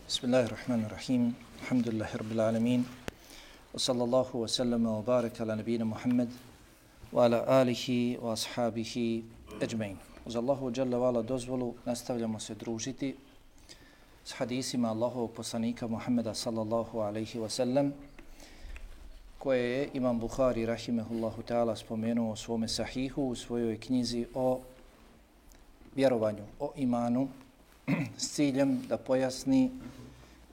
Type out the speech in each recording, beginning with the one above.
Bismillahirrahmanirrahim. Alhamdulillahi rabbil alamin. Wa sallallahu wa sallama wa baraka ala nabina Muhammad wa ala alihi wa ashabihi ajma'in. Uz Allahu dželle ve ala dozvolu nastavljamo se družiti s hadisima Allahovog poslanika Muhammeda sallallahu alaihi wa sallam koje je Imam Buhari rahimehullahu ta'ala spomenuo u svome sahihu u svojoj knjizi o vjerovanju, o imanu s ciljem da pojasni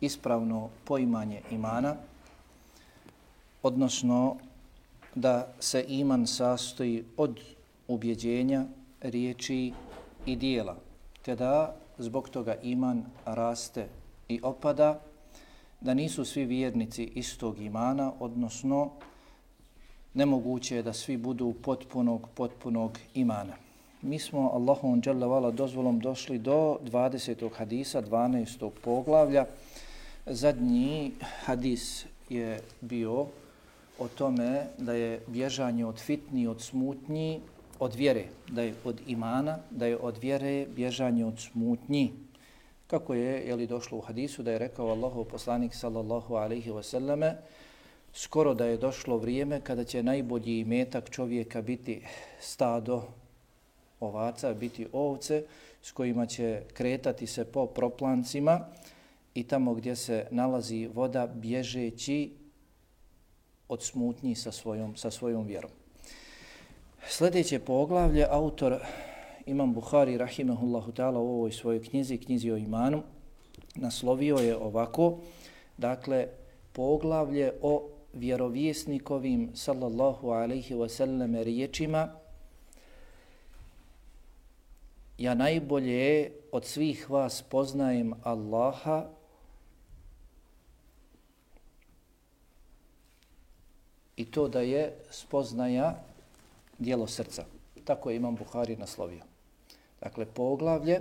ispravno poimanje imana, odnosno da se iman sastoji od ubjeđenja, riječi i dijela, te da zbog toga iman raste i opada, da nisu svi vjernici istog imana, odnosno nemoguće je da svi budu potpunog imana. Mi smo Allahom dželle ve ala dozvolom došli do 20. hadisa, 12. poglavlja. Zadnji hadis je bio o tome da je bježanje od fitni, od smutnji, od vjere, da je od imana, da je od vjere bježanje od smutnji. Kako je došlo u hadisu da je rekao Allahov poslanik sallallahu alejhi ve selleme, skoro da je došlo vrijeme kada će najbolji imetak čovjeka biti stado ovaca, biti ovce s kojima će kretati se po proplancima i tamo gdje se nalazi voda bježeći od smutnji sa svojom vjerom. Sljedeće poglavlje autor Imam Buhari rahimehullahu ta'ala u ovoj svojoj knjizi o imanu naslovio je ovako, dakle poglavlje o vjerovjesnikovim sallallahu alejhi ve sellem riječima: ja najbolje od svih vas poznajem Allaha i to da je spoznaja dijelo srca. Tako je Imam Buhari naslovio. Dakle, poglavlje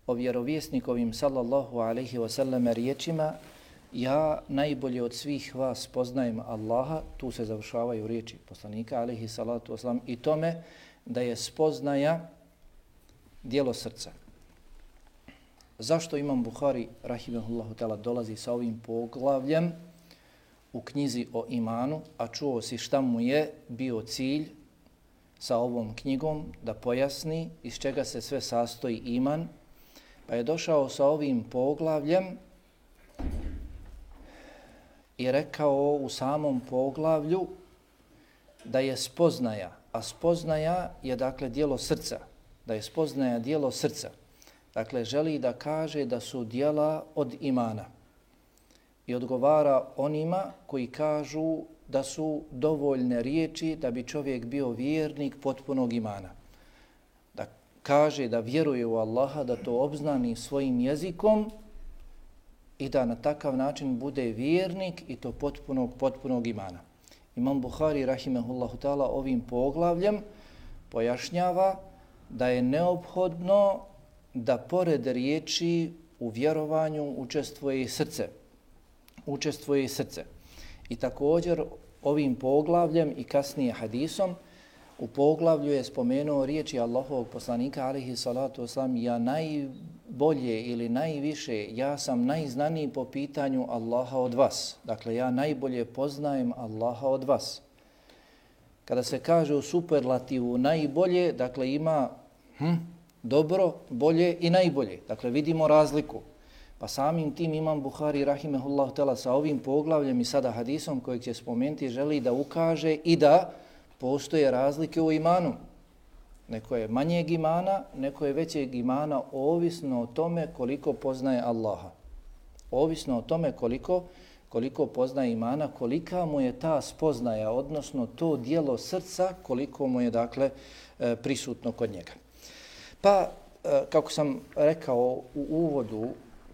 o vjerovjesnikovim sallallahu alejhi ve sellem riječima: ja najbolje od svih vas poznajem Allaha, tu se završavaju riječi poslanika alejhi salatu vesselam, i tome da je spoznaja dijelo srca. Zašto Imam Buhari rahimehullahu ta'ala dolazi sa ovim poglavljem u knjizi o imanu, a čuo si šta mu je bio cilj sa ovom knjigom, da pojasni iz čega se sve sastoji iman, pa je došao sa ovim poglavljem i rekao u samom poglavlju da je spoznaja, a spoznaja je dakle dijelo srca, da je spoznaja dijelo srca. Dakle, želi da kaže da su dijela od imana i odgovara onima koji kažu da su dovoljne riječi da bi čovjek bio vjernik potpunog imana. Da kaže da vjeruje u Allaha, da to obznani svojim jezikom i da na takav način bude vjernik i to potpunog imana. Imam Buhari rahimehullahu ta'ala ovim poglavljem pojašnjava da je neophodno da pored riječi u vjerovanju učestvuje i srce. I također ovim poglavljem i kasnije hadisom u poglavlju je spomenuo riječi Allahovog poslanika alejhi salatu vesselam: ja najbolje ili najviše, ja sam najznaniji po pitanju Allaha od vas. Dakle, ja najbolje poznajem Allaha od vas. Kada se kaže u superlativu najbolje, dakle ima dobro, bolje i najbolje. Dakle, vidimo razliku. Pa samim tim Imam Buhari rahimehullahu ta'ala sa ovim poglavljem i sada hadisom kojeg će spomenuti želi da ukaže i da postoje razlike u imanu. Neko je manjeg imana, neko je većeg imana, ovisno o tome koliko poznaje Allaha. Ovisno o tome koliko poznaje imana, kolika mu je ta spoznaja, odnosno to dijelo srca, koliko mu je dakle prisutno kod njega. Pa, kako sam rekao u uvodu,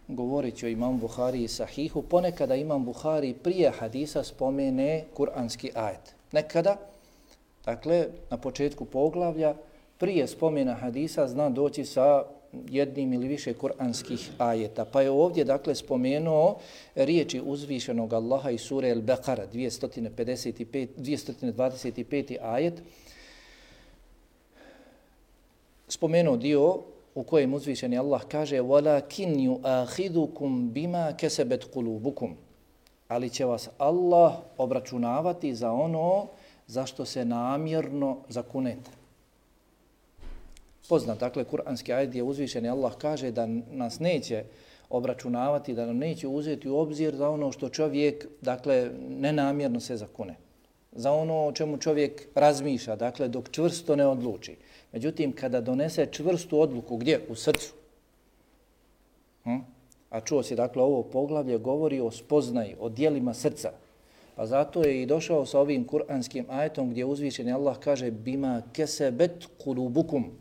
govoreći o Imam Buhari i Sahihu, ponekada Imam Buhari prije hadisa spomene kuranski ajet. Nekada, dakle, na početku poglavlja, prije spomena hadisa zna doći sa jednim ili više kuranskih ajeta. Pa je ovdje, dakle, spomenuo riječi uzvišenog Allaha iz sure Al-Baqara, 225. ajet. Spomenuo dio u kojem uzvišeni Allah kaže وَلَكِنْ يُؤَخِذُكُمْ بِمَا كَسَبَتْ قُلُوبُكُمْ, ali će vas Allah obračunavati za ono zašto se namjerno zakunete. Poznat, dakle, kuranski ajet gdje uzvišeni Allah kaže da nas neće obračunavati, da nam neće uzeti u obzir za ono što čovjek, dakle, nenamjerno se zakune. Za ono o čemu čovjek razmišlja, dakle, dok čvrsto ne odluči. Međutim, kada donese čvrstu odluku, gdje? U srcu. A čuo si, dakle, ovo poglavlje govori o spoznaji, o dijelima srca. Pa zato je i došao sa ovim kuranskim ajetom gdje uzvišeni Allah kaže bima kesebet kulubukum,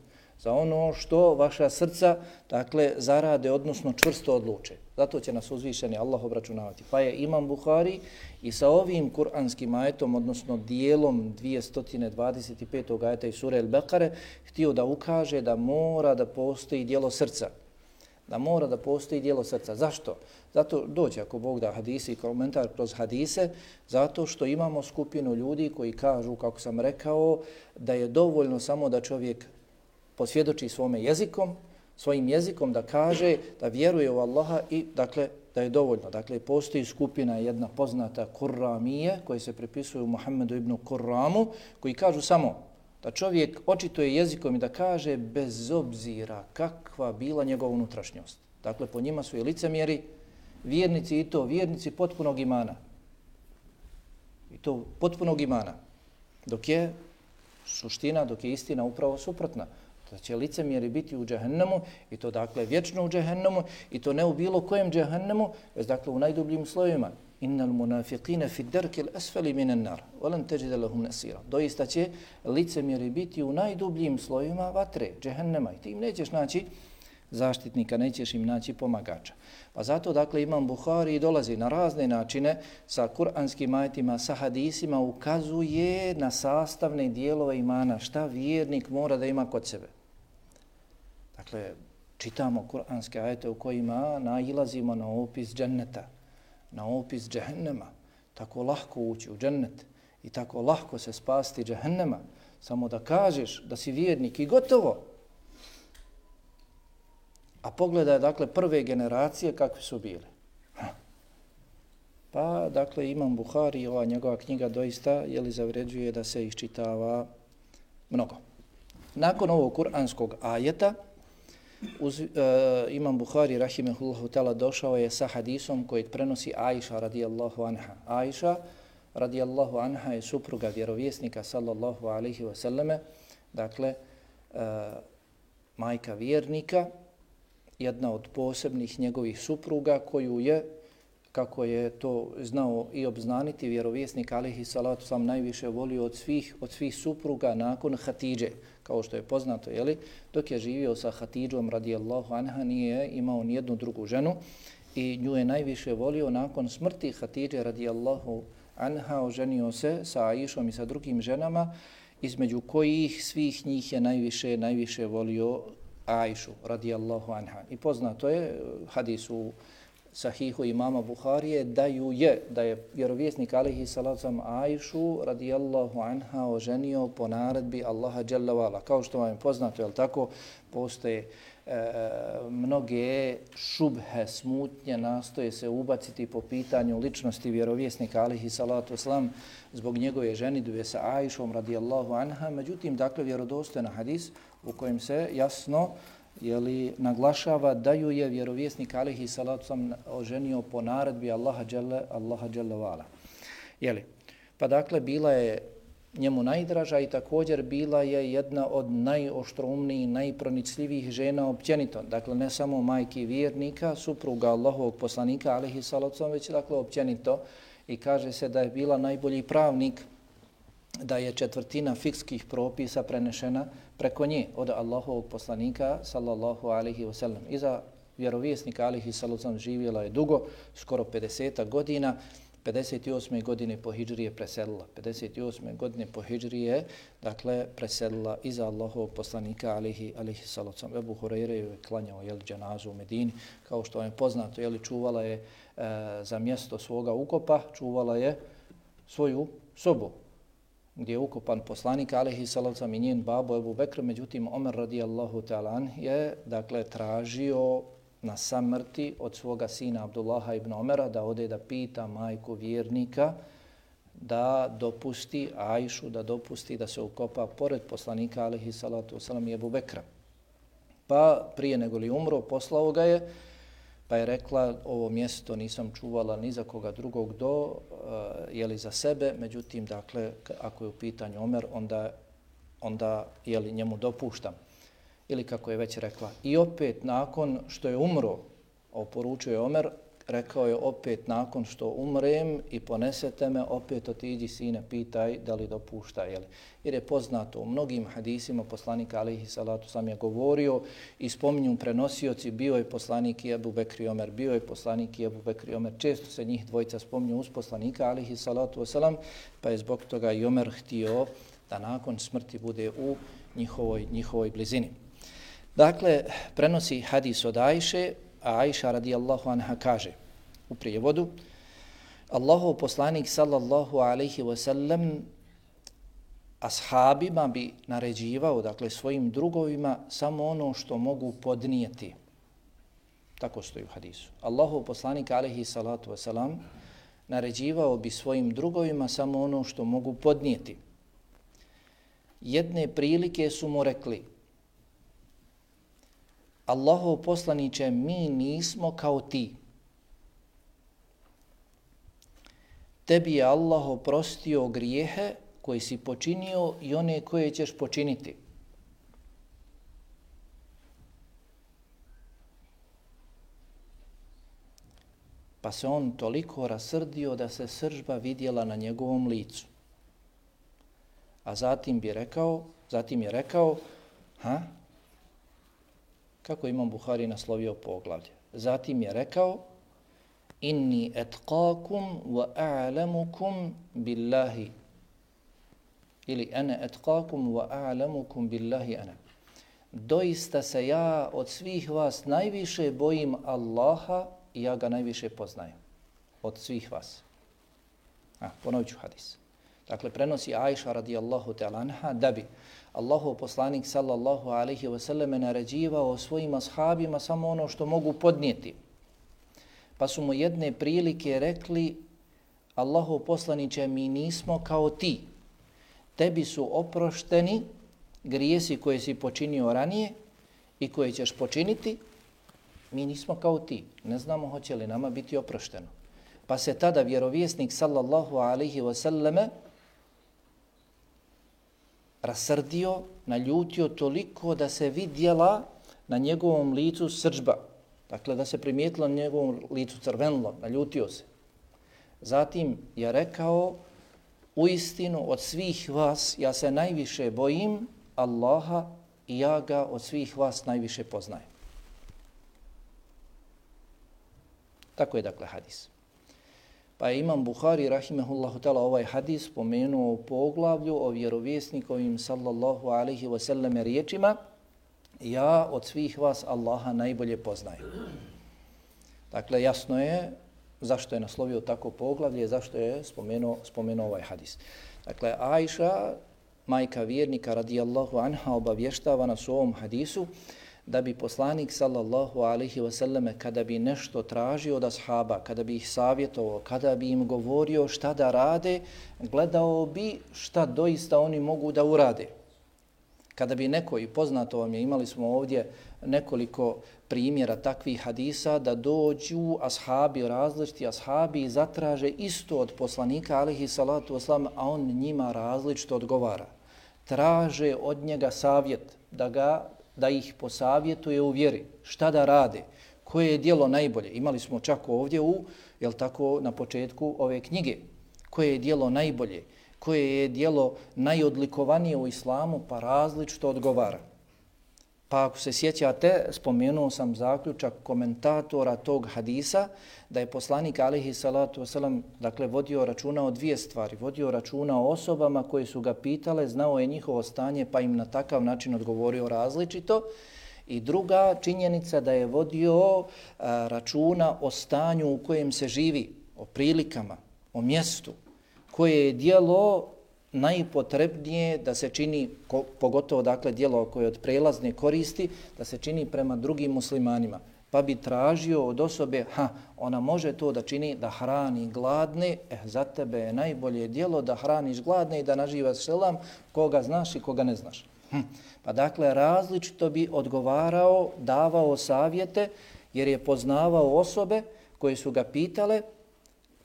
za ono što vaša srca, dakle, zarade, odnosno čvrsto odluče. Zato će nas uzvišeni Allah obračunavati. Pa je Imam Buhari i sa ovim kuranskim ajetom, odnosno dijelom 225. ajeta iz sure El-Bekare, htio da ukaže da mora da postoji dijelo srca. Da mora da postoji dijelo srca. Zašto? Zato dođe, ako Bog da, hadise i komentar kroz hadise, zato što imamo skupinu ljudi koji kažu, kako sam rekao, da je dovoljno samo da čovjek posvjedoči svojim jezikom da kaže da vjeruje u Allaha i, dakle, da je dovoljno. Dakle, postoji skupina jedna poznata Kurramije koji se pripisuju Muhammedu ibn Kurramu, koji kažu samo da čovjek očituje jezikom i da kaže bez obzira kakva bila njegova unutrašnjost. Dakle, po njima su i licemjeri, vjernici i to vjernici potpunog imana. I to potpunog imana. Dok je suština, dok je istina upravo suprotna. Da će licemjeri biti u džehennemu i to, dakle, vječno u džehennemu i to ne u bilo kojem džehennemu, već, dakle, u najdubljim slojima. Innal munafiqina fi darkil asfali minan nar wa lan tajida lahum nasira. Doista će licemjeri biti u najdubljim slojima vatre, džehennema, i ti im nećeš naći zaštitnika, nećeš im naći pomagača. Pa zato, dakle, Imam Buhari dolazi na razne načine sa kuranskim ajetima, sa hadisima, ukazuje na sastavne dijelove imana, šta vjernik mora da ima kod sebe. Dakle, čitamo kuranske ajete u kojima nailazimo na opis dženneta, na opis džehennema. Tako lahko ući u džennet i tako lahko se spasti džehennema. Samo da kažeš da si vjernik i gotovo. A pogledaj, dakle, prve generacije kakve su bile. Pa, dakle, Imam Buhari, ova njegova knjiga doista zavređuje da se iščitava mnogo. Nakon ovog kuranskog ajeta, Imam Buhari, rahimehullahu ta'ala, došao je sa hadisom koji prenosi Aisha radijallahu anha. Aisha radijallahu anha je supruga vjerovjesnika sallallahu alaihi wa sallame, dakle, majka vjernika, jedna od posebnih njegovih supruga koju je, kako je to znao i obznaniti, vjerovjesnik alejhi salatu sam najviše volio od svih supruga nakon Hatidže. Kao što je poznato, dok je živio sa Hatidžom radijallahu anha nije imao nijednu drugu ženu i nju je najviše volio. Nakon smrti Hatidže radijallahu anha oženio se sa Aishom i sa drugim ženama, između kojih svih njih je najviše volio Aishu radijallahu anha. I poznato je hadis u Sahihu imama Buharije da je vjerovjesnik alejhi salatu vesselam Aishu radijallahu anha oženio po naredbi Allaha dželle ve ala. Kao što vam je poznato, je li tako, postoje mnoge šubhe, smutnje, nastoje se ubaciti po pitanju ličnosti vjerovjesnika alejhi salatu vesselam zbog njegove ženidbe sa Aishom radijallahu anha. Međutim, dakle, vjerodostojan hadis u kojem se jasno naglašava da ju je vjerovjesnik alejhi salatu vesselam oženio po naredbi Allaha dželle ve ala. Pa dakle, bila je njemu najdraža i također bila je jedna od najoštroumnijih, najpronicljivijih žena općenito. Dakle, ne samo majki vjernika, supruga Allahovog poslanika alejhi salatu vesselam, već, dakle, općenito. I kaže se da je bila najbolji pravnik, da je 1/4 fikskih propisa prenešena preko nje od Allahovog poslanika sallallahu alejhi ve sellem. Iza vjerovjesnika alejhi salatu vesselam živjela je dugo, skoro 50 godina. 58. godine po hidžri je preselila. 58. godine po hidžri je, dakle, preselila iza Allahovog poslanika alejhi salatu vesselam. Ebu Hurajra je klanjao dženazu u Medini, kao što je poznato, čuvala je za mjesto svoga ukopa, čuvala je svoju sobu. gdje je ukopan poslanik alejhi salatu vesselam i njen babo Ebu Bekr, međutim Omer radijallahu ta'ala anh je dakle tražio na samrti od svoga sina Abdullaha ibn Omera da ode da pita majku vjernika da dopusti Ajšu, da dopusti da se ukopa pored poslanika alejhi salatu vesselam i Ebu Bekra. Pa prije nego li umro poslao ga je, pa je rekla ovo mjesto nisam čuvala ni za koga drugog jeli za sebe, međutim dakle ako je u pitanju Omer onda jeli njemu dopuštam. Ili kako je već rekla. I opet nakon što je umro, oporučio je Omer, rekao je opet nakon što umrem i ponesete me, opet otiđi sine, pitaj da li dopušta. Jeli. Jer je poznato u mnogim hadisima poslanika alejhi salatu sam je govorio i spominju prenosioci, bio je poslanik i Ebu Bekr i Omer, bio je poslanik i Ebu Bekr i Omer. Često se njih dvojica spominju uz poslanika alejhi salatu wasalam, pa je zbog toga i Omer htio da nakon smrti bude u njihovoj blizini. Dakle, prenosi hadis od Ajše, a Ajša radijallahu anha kaže u prijevodu: Allahov poslanik sallallahu alejhi ve sellem ashabima bi naređivao, dakle svojim drugovima, samo ono što mogu podnijeti. Tako stoji u hadisu. Allahov poslanik alejhi salatu ve selam naređivao bi svojim drugovima samo ono što mogu podnijeti. Jedne prilike su mu rekli: Allahov poslaniče, mi nismo kao ti. Tebi je Allah oprostio grijehe koje si počinio i one koje ćeš počiniti. Pa se on toliko rasrdio da se sržba vidjela na njegovom licu. A zatim je rekao, kako Imam Buhari naslovio poglavlje. Zatim je rekao: Inni etqakum wa a'lamukum billahi. Ili ana etqakum wa a'lamukum billahi ana. Doista se ja od svih vas najviše bojim Allaha i ja ga najviše poznajem. Od svih vas. Ponovit ću hadis. Dakle, prenosi Ajša radijallahu ta'ala anha da bi Allahov poslanik sallallahu alejhi ve selleme naređivao svojim ashabima samo ono što mogu podnijeti. Pa su mu jedne prilike rekli: Allahov poslaniče, mi nismo kao ti. Tebi su oprošteni grijesi koje si počinio ranije i koje ćeš počiniti. Mi nismo kao ti. Ne znamo hoće li nama biti oprošteno. Pa se tada vjerovjesnik sallallahu alejhi ve selleme rasrdio, naljutio toliko da se vidjela na njegovom licu srdžba. Dakle, da se primijetilo na njegovom licu crvenilo, naljutio se. Zatim je rekao: uistinu od svih vas ja se najviše bojim Allaha i ja ga od svih vas najviše poznajem. Tako je dakle hadis. Pa je Imam Buhari rahimehullahu ta'ala ovaj hadis spomenuo u poglavlju o vjerovjesnikovim sallallahu alaihi wa sallam riječima: ja od svih vas Allaha najbolje poznajem. Dakle, jasno je zašto je naslovio tako poglavlje, zašto je spomenuo ovaj hadis. Dakle, Ajša, majka vjernika radijallahu anha, obavještava nas u ovom hadisu da bi poslanik sallallahu alejhi ve selleme kada bi nešto tražio od ashaba, kada bi ih savjetovao, kada bi im govorio šta da rade, gledao bi šta doista oni mogu da urade. Kada bi neko, i poznato vam je, imali smo ovdje nekoliko primjera takvih hadisa, da dođu ashabi, različiti ashabi i zatraže isto od poslanika alejhi salatu vesselam, a on njima različito odgovara. Traže od njega savjet da ih posavjetuje u vjeri, šta da rade, koje je djelo najbolje. Imali smo čak ovdje na početku ove knjige, koje je djelo najbolje, koje je djelo najodlikovanije u islamu, pa različito odgovara. Pa ako se sjećate, spomenuo sam zaključak komentatora tog hadisa, da je poslanik alejhi salatu vesselam dakle vodio računa o dvije stvari. Vodio računa o osobama koje su ga pitale, znao je njihovo stanje, pa im na takav način odgovorio različito. I druga činjenica da je vodio računa o stanju u kojem se živi, o prilikama, o mjestu, koje je djelo najpotrebnije da se čini, pogotovo dakle djelo koje od prelazne koristi, da se čini prema drugim muslimanima. Pa bi tražio od osobe, ona može to da čini, da hrani gladne, za tebe je najbolje djelo da hraniš gladne i da naživaš selam koga znaš i koga ne znaš. Pa dakle različito bi odgovarao, davao savjete, jer je poznavao osobe koje su ga pitale.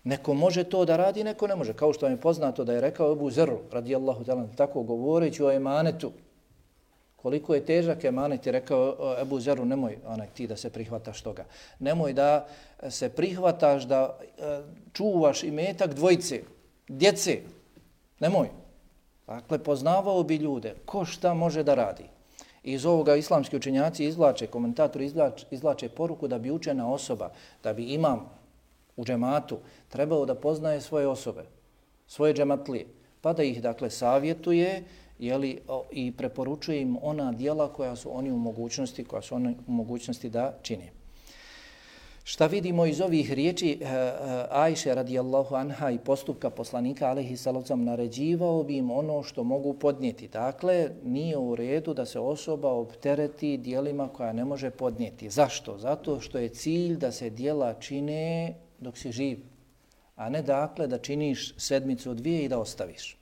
Neko može to da radi, neko ne može. Kao što vam je poznato da je rekao Ebu Zer, radijallahu ta'ala, tako govoreći o emanetu. Koliko je težak emanet, je rekao Ebu Zeru, nemoj ti da se prihvataš toga. Nemoj da se prihvataš da čuvaš imetak dvojice, djece. Nemoj. Dakle, poznavao bi ljude. Ko šta može da radi? Iz ovoga islamski učenjaci izvlače, komentatori izvlače poruku da bi učena osoba, da bi imam u džematu trebao da poznaje svoje osobe, svoje džematlije, pa da ih dakle savjetuje i preporučuje im ona djela koja su oni u mogućnosti da čine. Šta vidimo iz ovih riječi Ajše radijallahu anha i postupka poslanika alejhi salatu naređivao bi im ono što mogu podnijeti. Dakle, nije u redu da se osoba optereti djelima koja ne može podnijeti. Zašto? Zato što je cilj da se djela čine dok si živ, a ne dakle da činiš sedmicu, dvije i da ostaviš.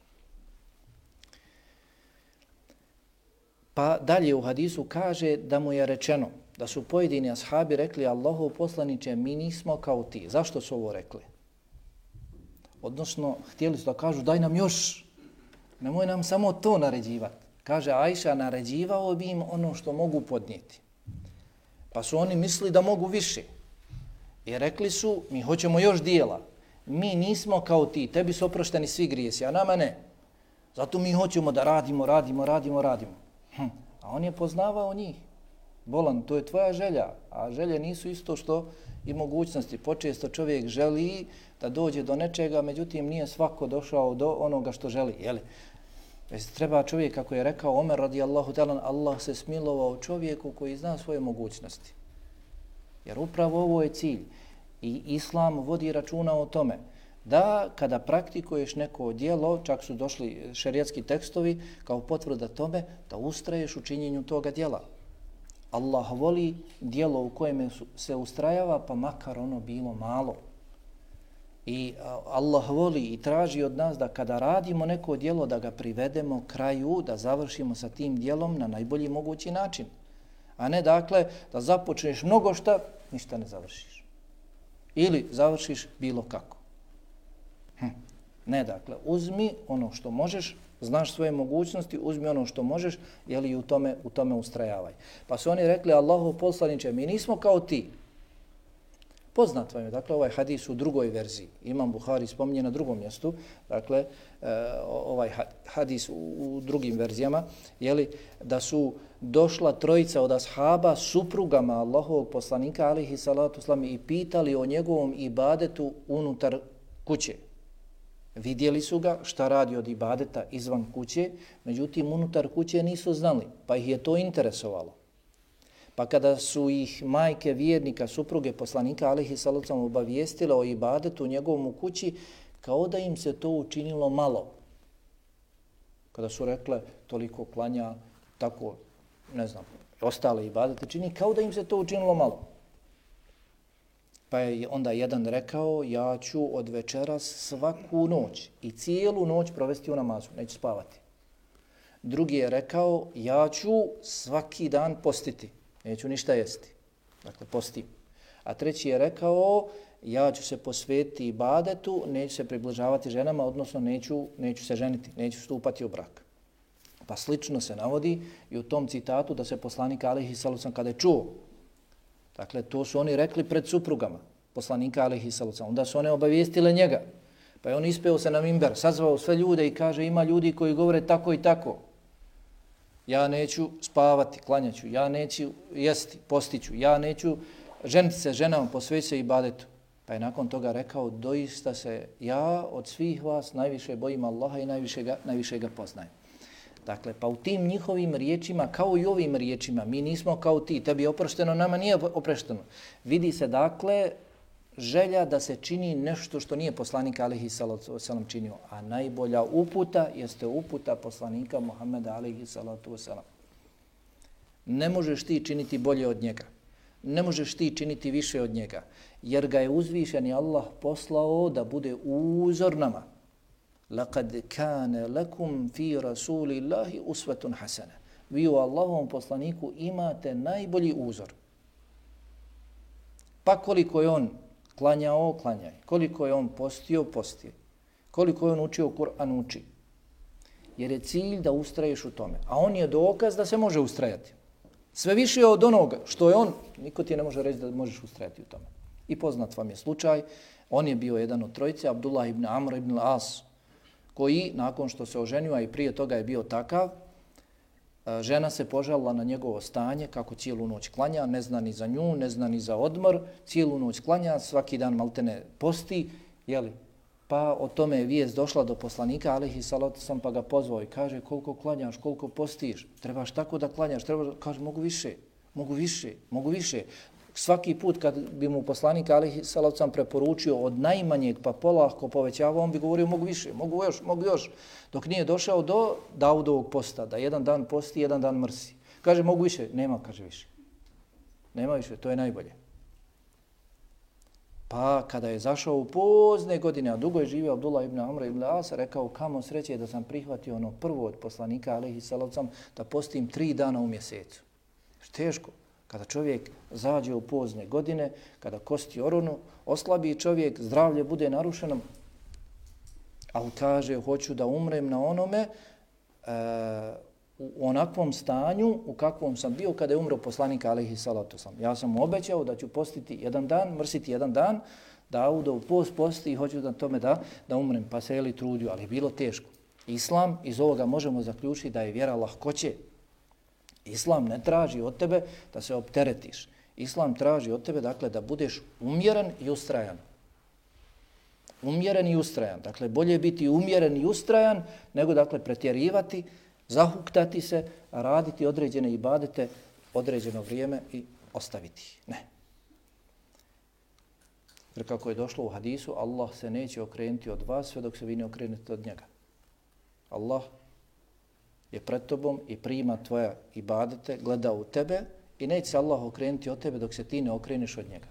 Pa dalje u hadisu kaže da mu je rečeno, da su pojedini ashabi rekli Allahov poslaniče, mi nismo kao ti. Zašto su ovo rekli? Odnosno, htjeli su da kažu daj nam još, nemoj nam samo to naređivati. Kaže Ajša, naređivao bi im ono što mogu podnijeti. Pa su oni mislili da mogu više. I rekli su, mi hoćemo još dijela. Mi nismo kao ti, tebi su oprošteni svi grijesi, a nama ne. Zato mi hoćemo da radimo. A on je poznavao njih. Bolan, to je tvoja želja, a želje nisu isto što i mogućnosti. Počesto čovjek želi da dođe do nečega, međutim nije svako došao do onoga što želi. Jeli? Treba čovjek, kako je rekao Omer radijallahu ta'ala, Allah se smilovao čovjeku koji zna svoje mogućnosti. Jer upravo ovo je cilj. I Islam vodi računa o tome da kada praktikuješ neko djelo, čak su došli šerijatski tekstovi kao potvrda tome, da ustraješ u činjenju toga djela. Allah voli djelo u kojem se ustrajava, pa makar ono bilo malo. I Allah voli i traži od nas da kada radimo neko djelo, da ga privedemo kraju, da završimo sa tim djelom na najbolji mogući način. A ne dakle da započneš mnogo šta, ništa ne završiš. Ili završiš bilo kako. Ne, dakle, uzmi ono što možeš, znaš svoje mogućnosti, uzmi ono što možeš, i u tome ustrajavaj. Pa su oni rekli, Allahov poslaniče, mi nismo kao ti. Poznat vam je, dakle, ovaj hadis u drugoj verziji. Imam Buhari spominje na drugom mjestu, dakle, ovaj hadis u drugim verzijama, da su došla trojica od ashaba suprugama Allahovog poslanika, alejhi salatu vesselam, i pitali o njegovom ibadetu unutar kuće. Vidjeli su ga šta radi od ibadeta izvan kuće, međutim unutar kuće nisu znali, pa ih je to interesovalo. Pa kada su ih majke vjernika, supruge poslanika alejhi salatu vesselam obavijestile o ibadetu u njegovom u kući, kao da im se to učinilo malo. Kada su rekle toliko klanja, tako, ne znam, ostale ibadete čini, kao da im se to učinilo malo. Pa je onda jedan rekao, ja ću od večeras svaku noć i cijelu noć provesti u namazu, neću spavati. Drugi je rekao, ja ću svaki dan postiti, neću ništa jesti, dakle postim. A treći je rekao, ja ću se posvetiti ibadetu, neću se približavati ženama, odnosno neću se ženiti, neću stupati u brak. Pa slično se navodi i u tom citatu da se poslanik alejhi salatu vesselam kada je čuo, dakle, to su oni rekli pred suprugama poslanika alejhi salatu vesselam. Onda su one obavijestile njega. Pa je on ispeo se na mimber, sazvao sve ljude i kaže, ima ljudi koji govore tako i tako. Ja neću spavati, klanjaću, ja neću jesti, postiću, ja neću ženiti se ženama, posvetiti se ibadetu. Pa je nakon toga rekao, doista se ja od svih vas najviše bojim Allaha i najviše ga poznajem. Dakle, pa u tim njihovim riječima, kao i ovim riječima, mi nismo kao ti, tebi je oprošteno, nama nije oprošteno. Vidi se, dakle, želja da se čini nešto što nije poslanik alejhi salatu vesselam činio, a najbolja uputa jeste uputa poslanika Muhameda alejhi salatu vesselam. Ne možeš ti činiti bolje od njega. Ne možeš ti činiti više od njega, jer ga je uzvišeni Allah poslao da bude uzor nama. Laqad kana lakum fi rasulillahi uswatun hasana. Vi u Allahovom poslaniku imate najbolji uzor. Pa koliko je on klanjao, klanjaj. Koliko je on postio, posti. Koliko je on učio Kur'an, uči. Jer je cilj da ustraješ u tome. A on je dokaz da se može ustrajati. Sve više od onoga što je on, niko ti ne može reći da možeš ustrajati u tome. I poznat vam je slučaj, on je bio jedan od trojice, Abdullah ibn Amr ibn As, koji nakon što se oženio, a i prije toga je bio takav, žena se požalila na njegovo stanje, kako cijelu noć klanja, ne zna ni za nju, ne zna ni za odmor, cijelu noć klanja, svaki dan maltene posti, jeli? Pa o tome je vijest došla do poslanika, alejhi salatu vesselam, pa ga pozvao i kaže koliko klanjaš, koliko postiš, trebaš tako da klanjaš, kaže mogu više. Svaki put kad bi mu poslanik alejhi salatu vesselam preporučio od najmanjeg pa polako povećavao, on bi govorio mogu još, dok nije došao do Daudovog posta, da jedan dan posti, jedan dan mrsi. Kaže mogu više, nema više, to je najbolje. Pa kada je zašao u pozne godine, a dugo je živio Abdullah ibn Amr ibn As, rekao kamo sreće da sam prihvatio ono prvo od poslanika alejhi salatu vesselam da postim 3 dana u mjesecu. Teško. Kada čovjek zađe u pozne godine, kada kosti oronu, oslabi čovjek, zdravlje bude narušeno, ali kaže hoću da umrem na onome u onakvom stanju u kakvom sam bio kada je umro poslanik alejhi salatu vesselam. Ja sam mu obećao da ću postiti jedan dan, mrsiti jedan dan, Daudov post posti i hoću da tome da umrem, pa se je trudio, ali je bilo teško. Islam, iz ovoga možemo zaključiti da je vjera lahkoće. Islam ne traži od tebe da se opteretiš. Islam traži od tebe dakle da budeš umjeren i ustrajan. Umjeren i ustrajan. Dakle, bolje biti umjeren i ustrajan nego dakle pretjerivati, zahuktati se, raditi određene ibadete određeno vrijeme i ostaviti ih. Ne. Jer kako je došlo u hadisu, Allah se neće okrenuti od vas sve dok se vi ne okrenete od njega. Allah je pred tobom i prima tvoja ibadete, gleda u tebe i neće se Allah okrenuti od tebe dok se ti ne okreneš od njega.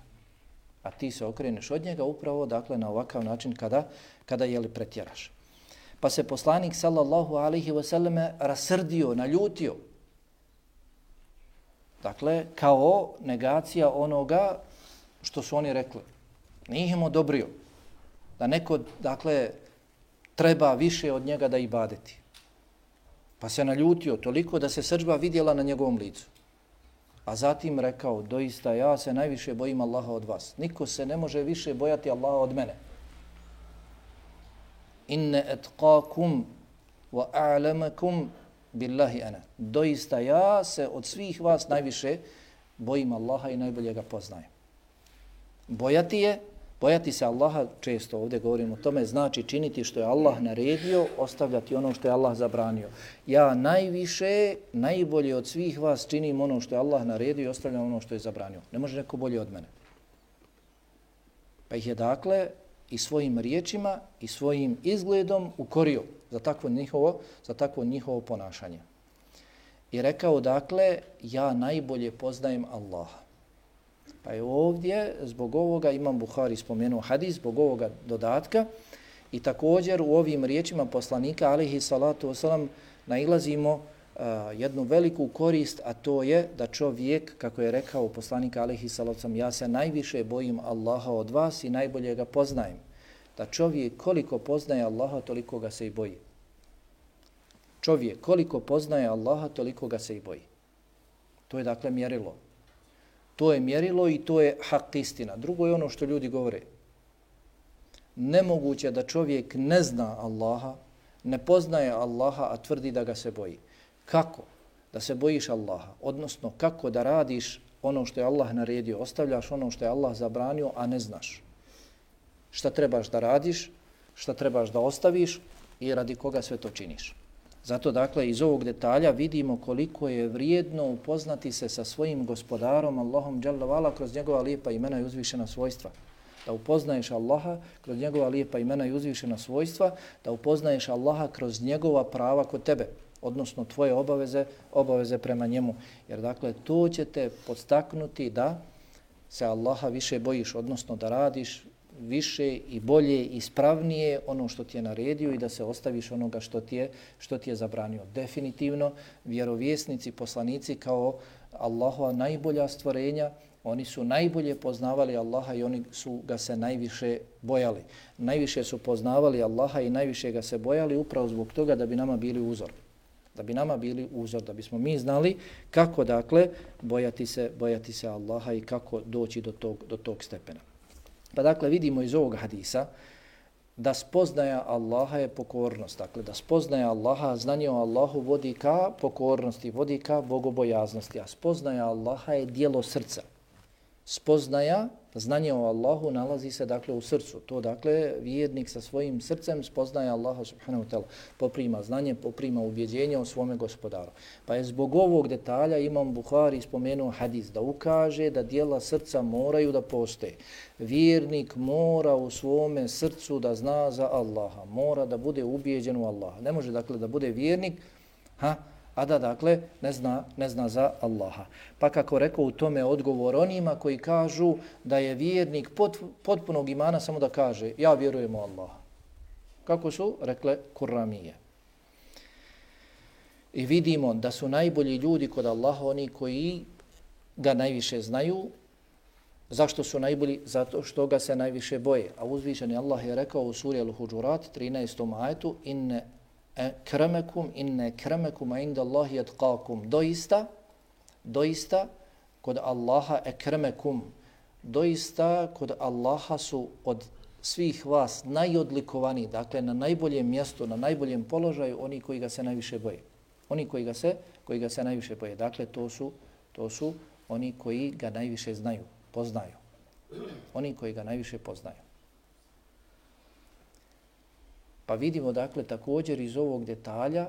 A ti se okreneš od njega upravo dakle na ovakav način kada jeli pretjeraš. Pa se poslanik sallallahu alejhi ve selleme rasrdio, naljutio. Dakle, kao negacija onoga što su oni rekli. Nije im odobrio da neko, dakle, treba više od njega da ibadeti. Pa se naljutio toliko da se srdžba vidjela na njegovom licu. A zatim rekao, doista ja se najviše bojim Allaha od vas. Niko se ne može više bojati Allaha od mene. Inne etqakum wa a'lamakum billahi ana. Doista ja se od svih vas najviše bojim Allaha i najbolje ga poznajem. Bojati se Allaha, često ovdje govorimo o tome, znači činiti što je Allah naredio, ostavljati ono što je Allah zabranio. Ja najviše, najbolje od svih vas činim ono što je Allah naredio i ostavljam ono što je zabranio. Ne može neko bolje od mene. Pa ih je dakle i svojim riječima i svojim izgledom ukorio za takvo njihovo ponašanje. I rekao dakle, ja najbolje poznajem Allaha. Pa je ovdje, zbog ovoga, Imam Buhari spomenuo hadis, zbog ovoga dodatka i također u ovim riječima poslanika, alejhi salatu vesselam, nailazimo jednu veliku korist, a to je da čovjek, kako je rekao poslanik, alejhi salatu vesselam, ja se najviše bojim Allaha od vas i najbolje ga poznajem. Da čovjek koliko poznaje Allaha, toliko ga se i boji. Čovjek koliko poznaje Allaha, toliko ga se i boji. To je dakle mjerilo. To je mjerilo i to je hak istina. Drugo je ono što ljudi govore. Nemoguće da čovjek ne zna Allaha, ne poznaje Allaha, a tvrdi da ga se boji. Kako da se bojiš Allaha? Odnosno, kako da radiš ono što je Allah naredio, ostavljaš ono što je Allah zabranio, a ne znaš. Šta trebaš da radiš, šta trebaš da ostaviš i radi koga sve to činiš. Zato, dakle, iz ovog detalja vidimo koliko je vrijedno upoznati se sa svojim gospodarom, Allahom dželle vala, kroz njegova lijepa imena i uzvišena svojstva. Da upoznaješ Allaha kroz njegova lijepa imena i uzvišena svojstva, da upoznaješ Allaha kroz njegova prava kod tebe, odnosno tvoje obaveze prema njemu. Jer dakle, to će te podstaknuti da se Allaha više bojiš, odnosno da radiš više i bolje i ispravnije ono što ti je naredio i da se ostaviš onoga što ti je zabranio. Definitivno, vjerovjesnici, poslanici kao Allahova najbolja stvorenja, oni su najbolje poznavali Allaha i oni su ga se najviše bojali. Najviše su poznavali Allaha i najviše ga se bojali upravo zbog toga da bi nama bili uzor. Da bi nama bili uzor, da bismo mi znali kako dakle bojati se Allaha i kako doći do tog stepena. Pa dakle vidimo iz ovog hadisa da spoznaja Allaha je pokornost. Dakle da spoznaja Allaha, znanje o Allahu vodi ka pokornosti, vodi ka bogobojaznosti, a spoznaja Allaha je dijelo srca. Spoznaja, znanje o Allahu nalazi se dakle u srcu. To dakle vjernik sa svojim srcem spoznaje Allaha subhanahu wa ta'ala. Poprima znanje, poprima ubjeđenje o svome gospodaru. Pa je zbog ovog detalja Imam Buhari spomenuo hadis da ukaže da dijela srca moraju da postoje. Vjernik mora u svome srcu da zna za Allaha. Mora da bude ubijeđen u Allaha. Ne može dakle da bude vjernik, a da dakle ne zna za Allaha. Pa kako rekao u tome odgovor onima koji kažu da je vjernik potpunog imana samo da kaže ja vjerujem u Allaha. Kako su rekle Kuramije. I vidimo da su najbolji ljudi kod Allaha oni koji ga najviše znaju. Zašto su najbolji? Zato što ga se najviše boje. A uzvišeni Allah je rekao u suri Al-Huđurat 13. ajetu inne kremekum inda Allahi atqakum. Doista kod Allaha ekremekum. Doista kod Allaha su od svih vas najodlikovaniji, dakle na najboljem mjestu, na najboljem položaju oni koji ga se najviše boje. Oni koji ga se najviše boje. Dakle to su oni koji ga najviše znaju, poznaju. Oni koji ga najviše poznaju. Pa vidimo dakle također iz ovog detalja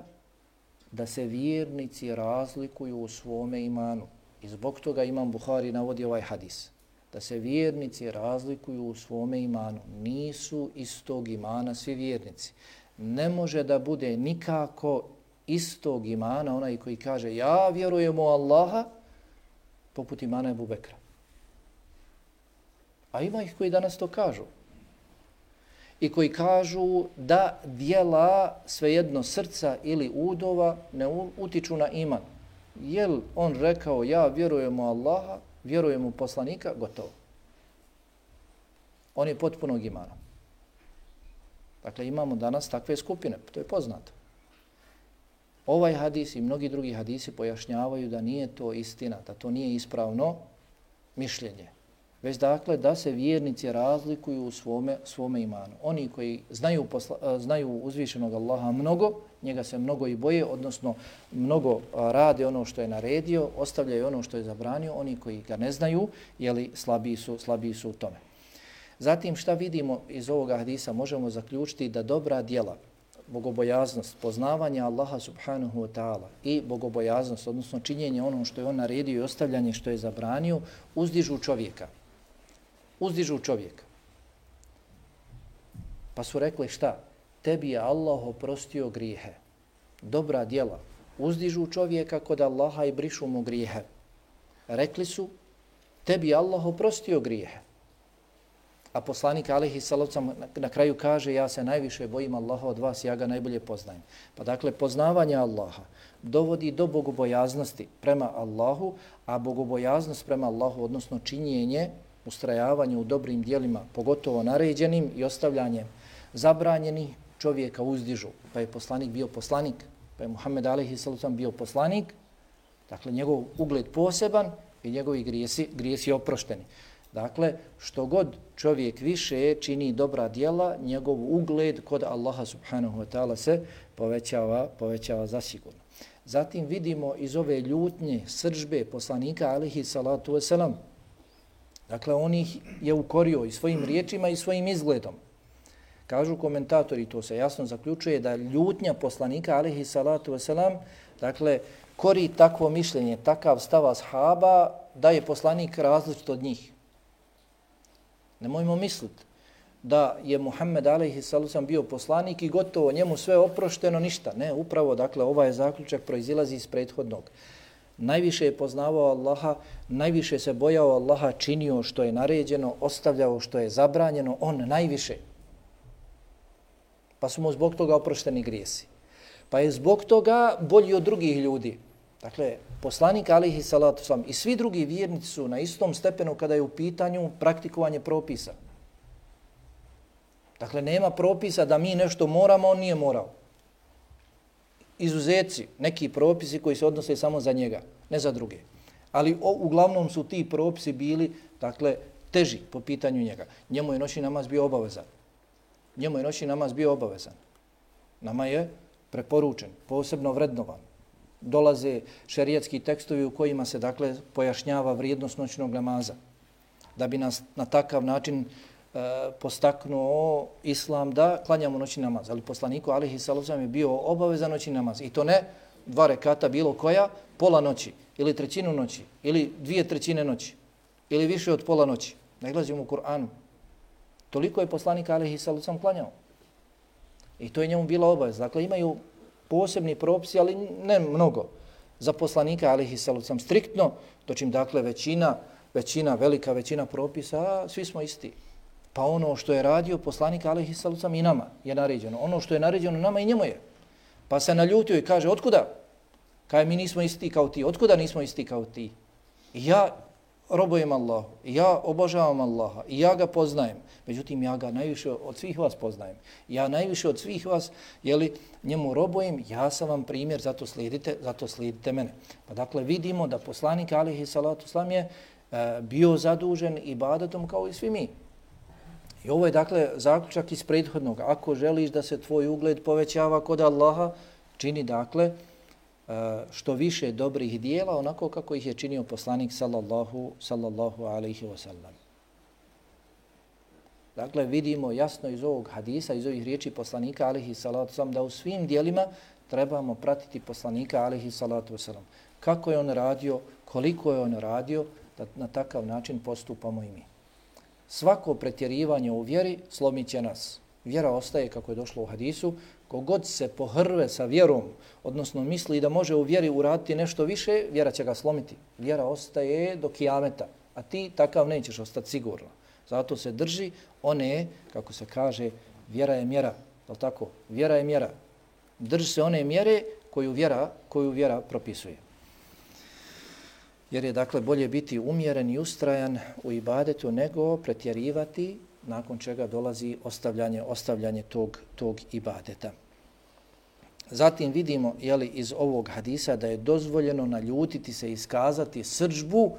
da se vjernici razlikuju u svome imanu. I zbog toga Imam Buhari navodi ovaj hadis. Da se vjernici razlikuju u svome imanu. Nisu istog imana svi vjernici. Ne može da bude nikako istog imana onaj koji kaže ja vjerujem u Allaha poput imana Ebu Bekra. A ima ih koji danas to kažu. I koji kažu da dijela svejedno srca ili udova ne utiču na iman. Jel on rekao ja vjerujem u Allaha, vjerujem u poslanika, gotovo. On je potpunog imana. Dakle, imamo danas takve skupine, to je poznato. Ovaj hadis i mnogi drugi hadisi pojašnjavaju da nije to istina, da to nije ispravno mišljenje. Već dakle da se vjernici razlikuju u svome imanu. Oni koji znaju uzvišenog Allaha mnogo, njega se mnogo i boje, odnosno mnogo rade ono što je naredio, ostavljaju ono što je zabranio, oni koji ga ne znaju, jeli slabiji su u tome. Zatim šta vidimo iz ovoga hadisa? Možemo zaključiti da dobra djela, bogobojaznost, poznavanje Allaha subhanahu wa ta'ala i bogobojaznost, odnosno činjenje ono što je on naredio i ostavljanje što je zabranio, uzdižu čovjeka. Uzdižu čovjeka. Pa su rekli šta? Tebi je Allah oprostio grijehe. Dobra djela uzdižu čovjeka kod Allaha i brišu mu grijehe. Rekli su, tebi je Allah oprostio grijehe. A poslanik alejhi salatu na kraju kaže, ja se najviše bojim Allaha od vas, ja ga najbolje poznajem. Pa dakle, poznavanje Allaha dovodi do bogobojaznosti prema Allahu, a bogobojaznost prema Allahu, odnosno činjenje, ustrajavanje u dobrim dijelima, pogotovo naređenim i ostavljanjem zabranjenih, čovjeka uzdižu. Pa je poslanik bio poslanik, pa je Muhammed alejhi salatu bio poslanik, dakle njegov ugled poseban i njegovi grijesi oprošteni. Dakle, što god čovjek više čini dobra djela, njegov ugled kod Allaha subhanahu wa ta'ala se povećava zasigurno. Zatim vidimo iz ove ljutnje, srdžbe poslanika alejhi salatu vesselam. Dakle, on ih je ukorio i svojim riječima i svojim izgledom. Kažu komentatori, to se jasno zaključuje, da ljutnja poslanika alejhi salatu vesselam, dakle, kori takvo mišljenje, takav stav ashaba, da je poslanik različit od njih. Nemojmo misliti da je Muhammed a.s. bio poslanik i gotovo njemu sve oprošteno, ništa. Ne, upravo, dakle, ovaj zaključak proizilazi iz prethodnog. Najviše je poznavao Allaha, najviše se bojao Allaha, činio što je naređeno, ostavljao što je zabranjeno, on najviše. Pa su mu zbog toga oprošteni grijesi. Pa je zbog toga bolji od drugih ljudi. Dakle, poslanik alihi salatu salam i svi drugi vjernici su na istom stepenu kada je u pitanju praktikovanje propisa. Dakle, nema propisa da mi nešto moramo, on nije morao. Izuzeci, neki propisi koji se odnose samo za njega, ne za druge. Ali uglavnom su ti propisi bili, dakle, teži po pitanju njega. Njemu je noćni namaz bio obavezan. Njemu je noćni namaz bio obavezan. Nama je preporučen, posebno vrednovan. Dolaze šerijatski tekstovi u kojima se, dakle, pojašnjava vrijednost noćnog namaza. Da bi nas na takav način postaknuo islam da klanjamo noćni namaz. Ali poslaniku alihi sallam je bio obavezan noćni namaz. I to ne 2 rekata bilo koja, pola noći, ili 1/3 noći, ili 2/3 noći, ili više od pola noći. Nalazimo u Kur'anu. Toliko je poslanik alihi sallam klanjao. I to je njemu bila obaveza. Dakle, imaju posebni propisi, ali ne mnogo. Za poslanika alihi sallam striktno, dočim, dakle, velika većina propisa, svi smo isti. Pa ono što je radio poslanik alihi sallam i nama je naređeno. Ono što je naređeno nama i njemu je. Pa se naljutio i kaže, otkuda? Kaže, mi nismo isti kao ti. Otkuda nismo isti kao ti? I ja robujem Allahu, i ja obožavam Allaha, i ja ga poznajem. Međutim, ja ga najviše od svih vas poznajem. Ja najviše od svih vas, njemu robujem, ja sam vam primjer, zato slijedite mene. Pa dakle, vidimo da poslanik alihi salatu sallam je bio zadužen ibadetom kao i svi mi. I ovo je, dakle, zaključak iz prethodnog. Ako želiš da se tvoj ugled povećava kod Allaha, čini, dakle, što više dobrih dijela, onako kako ih je činio poslanik sallallahu alaihi wa sallam. Dakle, vidimo jasno iz ovog hadisa, iz ovih riječi poslanika alaihi salatu sallam, da u svim dijelima trebamo pratiti poslanika alaihi salatu sallam. Kako je on radio, koliko je on radio, da na takav način postupamo i mi. Svako pretjerivanje u vjeri slomit će nas. Vjera ostaje, kako je došlo u hadisu, kogod se pohrve sa vjerom, odnosno misli da može u vjeri uraditi nešto više, vjera će ga slomiti. Vjera ostaje do kijameta, a ti takav nećeš ostati sigurno. Zato se drži one, kako se kaže, vjera je mjera. Je li tako? Vjera je mjera. Drži se one mjere koju vjera propisuje. Jer je, dakle, bolje biti umjeren i ustrajan u ibadetu nego pretjerivati, nakon čega dolazi ostavljanje tog ibadeta. Zatim vidimo, iz ovog hadisa da je dozvoljeno naljutiti se, iskazati srdžbu,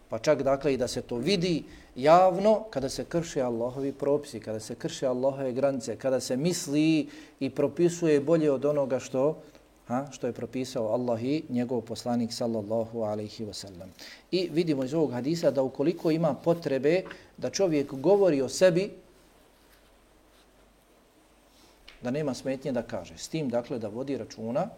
pa čak, dakle, i da se to vidi javno kada se krše Allahovi propisi, kada se krše Allahove granice, kada se misli i propisuje bolje od onoga što je propisao Allah i njegov poslanik sallallahu alaihi wa sallam. I vidimo iz ovog hadisa da ukoliko ima potrebe da čovjek govori o sebi, da nema smetnje da kaže. S tim, dakle, da vodi računa,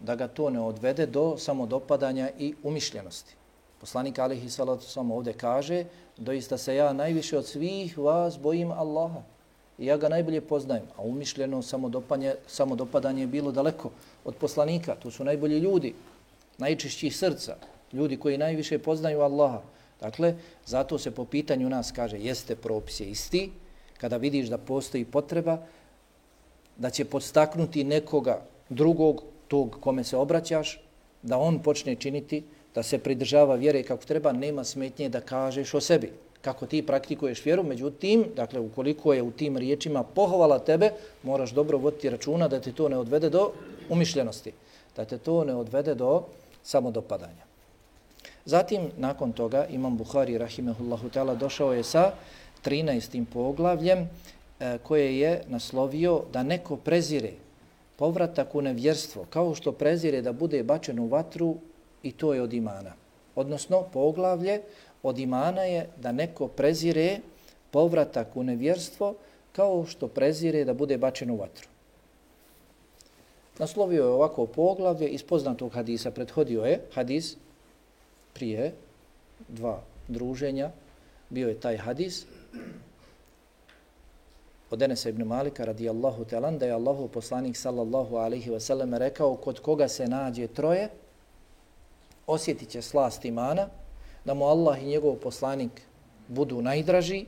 da ga to ne odvede do samodopadanja i umišljenosti. Poslanik alaihi salatu sallam ovdje kaže, doista se ja najviše od svih vas bojim Allaha. I ja ga najbolje poznajem, a umišljeno samodopadanje je bilo daleko od poslanika. To su najbolji ljudi, najčišćih srca, ljudi koji najviše poznaju Allaha. Dakle, zato se po pitanju nas kaže, jeste propis je isti, kada vidiš da postoji potreba, da će podstaknuti nekoga drugog, tog kome se obraćaš, da on počne činiti, da se pridržava vjere kako treba, nema smetnje da kažeš o sebi. Kako ti praktikuješ vjeru, međutim, dakle, ukoliko je u tim riječima pohvala tebe, moraš dobro voditi računa da te to ne odvede do umišljenosti, da te to ne odvede do samodopadanja. Zatim, nakon toga, Imam Buhari, rahimehullahu ta'ala, došao je sa 13. poglavljem koje je naslovio da neko prezire povratak u nevjerstvo, kao što prezire da bude bačen u vatru, i to je od imana. Odnosno, poglavlje od imana je da neko prezire povratak u nevjerstvo kao što prezire da bude bačen u vatru. Naslovio je ovako poglavlje iz poznatog hadisa. Prethodio je hadis prije 2 druženja. Bio je taj hadis od Enesa ibn Malika radijallahu ta'ala da je Allahov poslanik sallallahu alaihi wa sallam rekao kod koga se nađe troje, osjetit će slast imana, da mu Allah i njegov poslanik budu najdraži,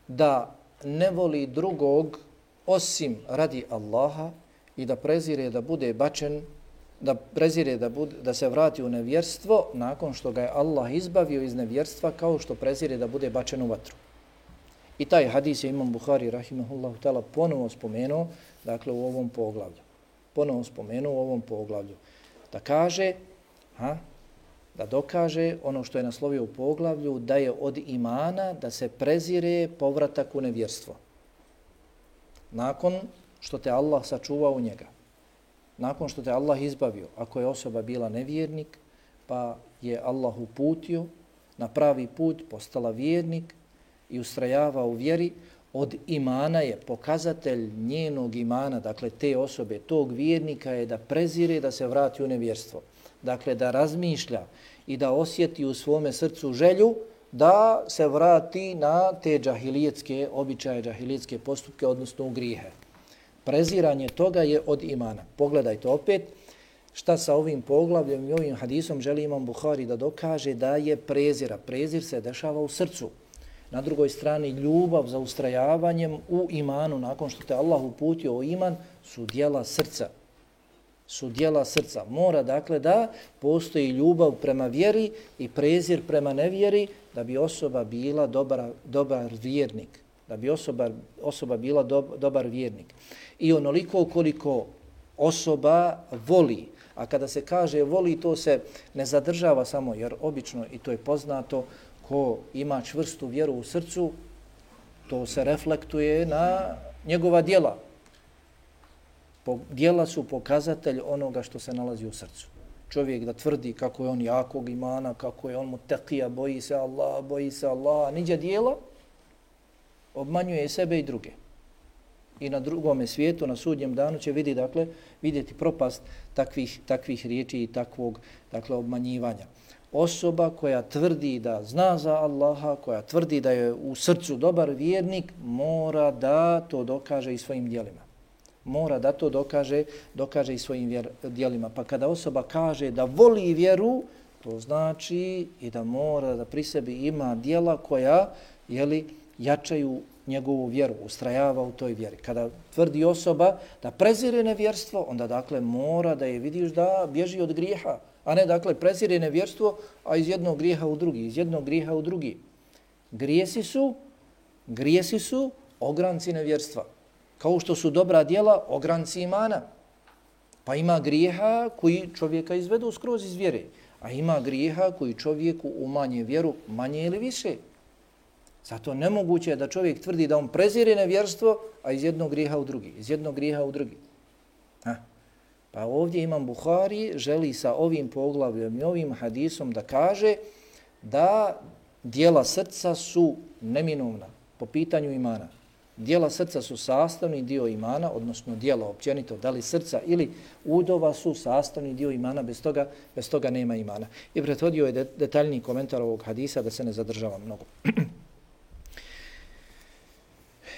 da ne voli drugog osim radi Allaha i da prezire da bude bačen, da prezire da se vrati u nevjerstvo nakon što ga je Allah izbavio iz nevjerstva kao što prezire da bude bačen u vatru. I taj hadis je Imam Buhari rahimahullahu ta'ala ponovo spomenuo, dakle u ovom poglavlju. Ponovo spomenuo u ovom poglavlju. Da kaže, da dokaže ono što je naslovio u poglavlju, da je od imana da se prezire povratak u nevjerstvo. Nakon što te Allah sačuvao u njega. Nakon što te Allah izbavio, ako je osoba bila nevjernik, pa je Allah uputio na pravi put, postala vjernik i ustrajava u vjeri, od imana je pokazatelj njenog imana, dakle te osobe, tog vjernika je da prezire da se vrati u nevjerstvo. Dakle, da razmišlja i da osjeti u svome srcu želju da se vrati na te džahilijetske običaje, džahilijetske postupke, odnosno u grijehe. Preziranje toga je od imana. Pogledajte opet šta sa ovim poglavljem i ovim hadisom želi Imam Buhari da dokaže da je prezira. Prezir se dešava u srcu. Na drugoj strani ljubav za ustrajavanjem u imanu nakon što te Allah uputio u iman su djela srca. Su djela srca. Mora dakle da postoji ljubav prema vjeri i prezir prema nevjeri da bi osoba bila dobar vjernik. Da bi osoba bila dobar vjernik. I onoliko koliko osoba voli, a kada se kaže voli, to se ne zadržava samo, jer obično, i to je poznato, ko ima čvrstu vjeru u srcu, to se reflektuje na njegova djela. Djela su pokazatelj onoga što se nalazi u srcu. Čovjek da tvrdi kako je on jakog imana, kako je on mutekija, boji se Allah, a niđe djela, obmanjuje sebe i druge. I na drugome svijetu, na sudnjem danu će vidjeti propast takvih riječi i takvog obmanjivanja. Osoba koja tvrdi da zna za Allaha, koja tvrdi da je u srcu dobar vjernik, mora da to dokaže i svojim djelima. Mora da to dokaže i svojim djelima. Pa kada osoba kaže da voli vjeru, to znači i da mora da pri sebi ima djela koja jačaju njegovu vjeru, ustrajava u toj vjeri. Kada tvrdi osoba da prezire nevjerstvo, onda dakle mora da je vidiš da bježi od grijeha, a ne dakle prezire nevjerstvo, a iz jednog grijeha u drugi, iz jednog grijeha u drugi. Grijesi su ogranci nevjerstva. Kao što su dobra djela ogranci imana. Pa ima grijeha koji čovjeka izvedu skroz iz vjere, a ima grijeha koji čovjeku umanje vjeru manje ili više. Zato nemoguće je da čovjek tvrdi da on prezire nevjerstvo, a iz jednog grijeha u drugi. Pa ovdje Imam Buhari želi sa ovim poglavljem i ovim hadisom da kaže da djela srca su neminovna po pitanju imana. Djela srca su sastavni dio imana, odnosno djela općenito, da li srca ili udova su sastavni dio imana, bez toga nema imana. I prethodio je detaljni komentar ovog hadisa da se ne zadržava mnogo.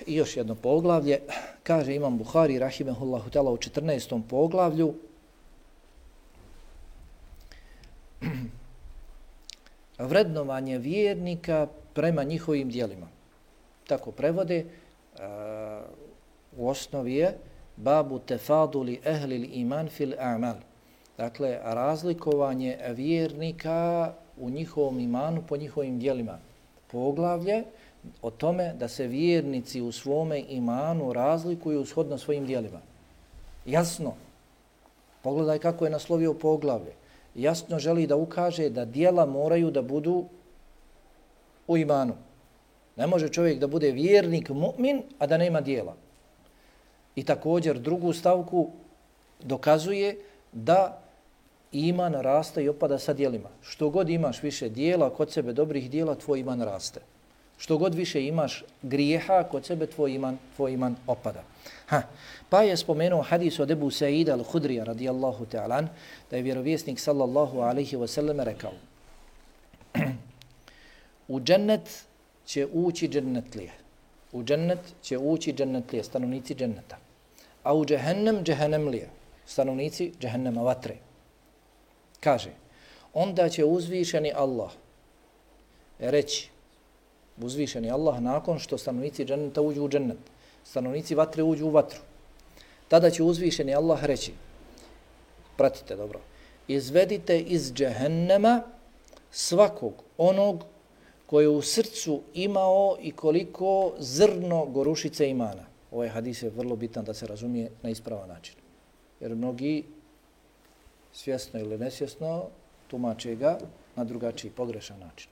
I još jedno poglavlje, kaže Imam Buhari rahimehullahu ta'ala u 14. poglavlju, vrednovanje vjernika prema njihovim djelima. Tako prevode, u osnovi je babu tefaduli ehlil iman fil a'mal. Dakle, razlikovanje vjernika u njihovom imanu po njihovim djelima. Poglavlje o tome da se vjernici u svome imanu razlikuju shodno svojim djelima. Jasno. Pogledaj kako je naslovio poglavlje. Jasno želi da ukaže da djela moraju da budu u imanu. Ne može čovjek da bude vjernik, mu'min, a da nema djela. I također drugu stavku dokazuje da iman raste i opada sa djelima. Što god imaš više djela, kod sebe dobrih djela, tvoj iman raste. Što god više imaš grijeha, kod sebe tvoj iman opada. Pa je spomenuo hadis od Ebu Sa'ida al-Hudrija radijallahu ta'ala, da je vjerovjesnik sallallahu alaihi wa sallam rekao: u džennet će ući džennetlije. U džennet će ući džennetlije, stanovnici dženneta. A u džehennem, džehennemlije, stanovnici džehennema, vatre. Kaže, onda će uzvišeni Allah reći, uzvišeni Allah nakon što stanovnici dženneta uđu u džennet, stanovnici vatre uđu u vatru. Tada će uzvišeni Allah reći, pratite dobro, izvedite iz džehennema svakog onog koji je u srcu imao i koliko zrno gorušice imana. Ovaj hadis je vrlo bitan da se razumije na ispravan način. Jer mnogi svjesno ili nesvjesno tumače ga na drugačiji, pogrešan način.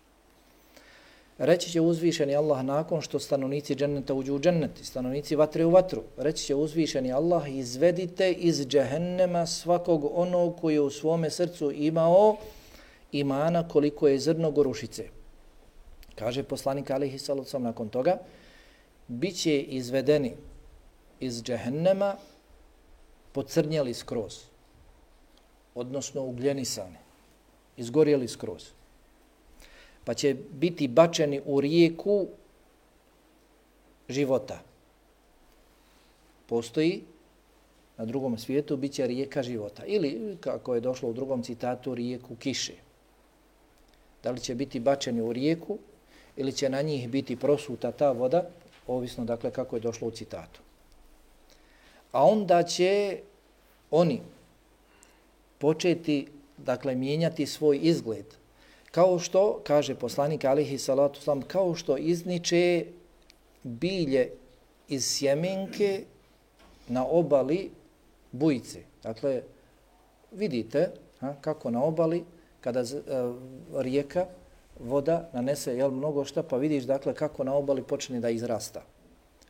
Reći će uzvišeni Allah nakon što stanovnici dženneta uđu u džennet, stanovnici vatre u vatru. Reći će uzvišeni Allah, izvedite iz džehennema svakog onog koji je u svome srcu imao imana koliko je zrno gorušice. Kaže poslanik alejhi salatu vesselam nakon toga, bit će izvedeni iz džehennema pocrnjeli skroz, odnosno ugljenisani, izgorjeli skroz. Pa će biti bačeni u rijeku života. Postoji na drugom svijetu, bit će rijeka života. Ili, kako je došlo u drugom citatu, rijeku kiše. Da li će biti bačeni u rijeku ili će na njih biti prosuta ta voda, ovisno dakle kako je došlo u citatu. A onda će oni početi dakle mijenjati svoj izgled. Kao što, kaže poslanik alejhi salatu vesselam, kao što izniče bilje iz sjemenke na obali bujice. Dakle, vidite kako na obali, kada rijeka, voda nanese mnogo šta, pa vidiš dakle kako na obali počne da izrasta.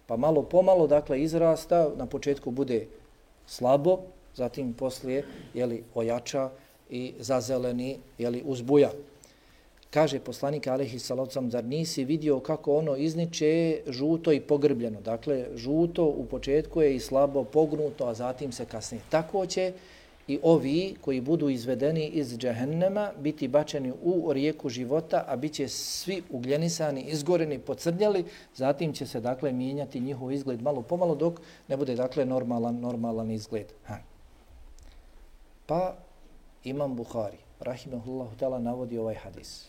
Pa malo pomalo dakle izrasta, na početku bude slabo, zatim poslije ojača i zazeleni uzbuja. Kaže poslanik alejhi salatu vesselam, zar nisi vidio kako ono izniče žuto i pogrbljeno? Dakle, žuto u početku je i slabo pognuto, a zatim se kasnije. Tako će i ovi koji budu izvedeni iz džehennema biti bačeni u rijeku života, a bit će svi ugljenisani, izgoreni, pocrnjali, zatim će se dakle mijenjati njihov izgled malo pomalo dok ne bude dakle normalan izgled. Pa Imam Buhari, rahimahullahu ta'ala, navodi ovaj hadis.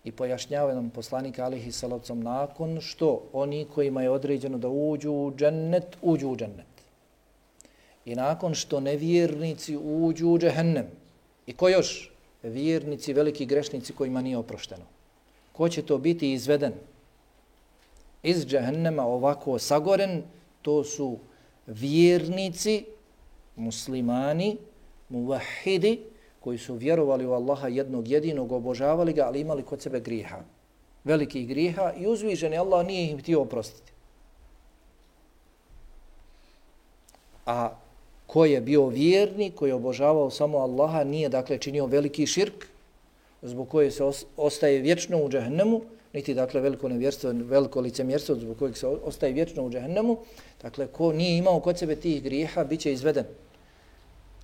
I pojašnjava nam poslanik alejhi salatu vesselam nakon što oni kojima je određeno da uđu u džennet. I nakon što nevjernici uđu u džehennem. I ko još? Vjernici, veliki grešnici kojima nije oprošteno. Ko će to biti izveden iz džehennema ovako sagoren? To su vjernici, muslimani, muvahidi, koji su vjerovali u Allaha jednog jedinog, obožavali ga, ali imali kod sebe grijeha. Velikih grijeha i uzvišeni Allah nije im htio oprostiti. A ko je bio vjernik, koji je obožavao samo Allaha, nije dakle činio veliki širk, zbog koje se ostaje vječno u džehennemu, niti dakle veliko nevjerstvo, veliko licemjerstvo, zbog kojeg se ostaje vječno u džehennemu, dakle ko nije imao kod sebe tih grijeha, bit će izveden.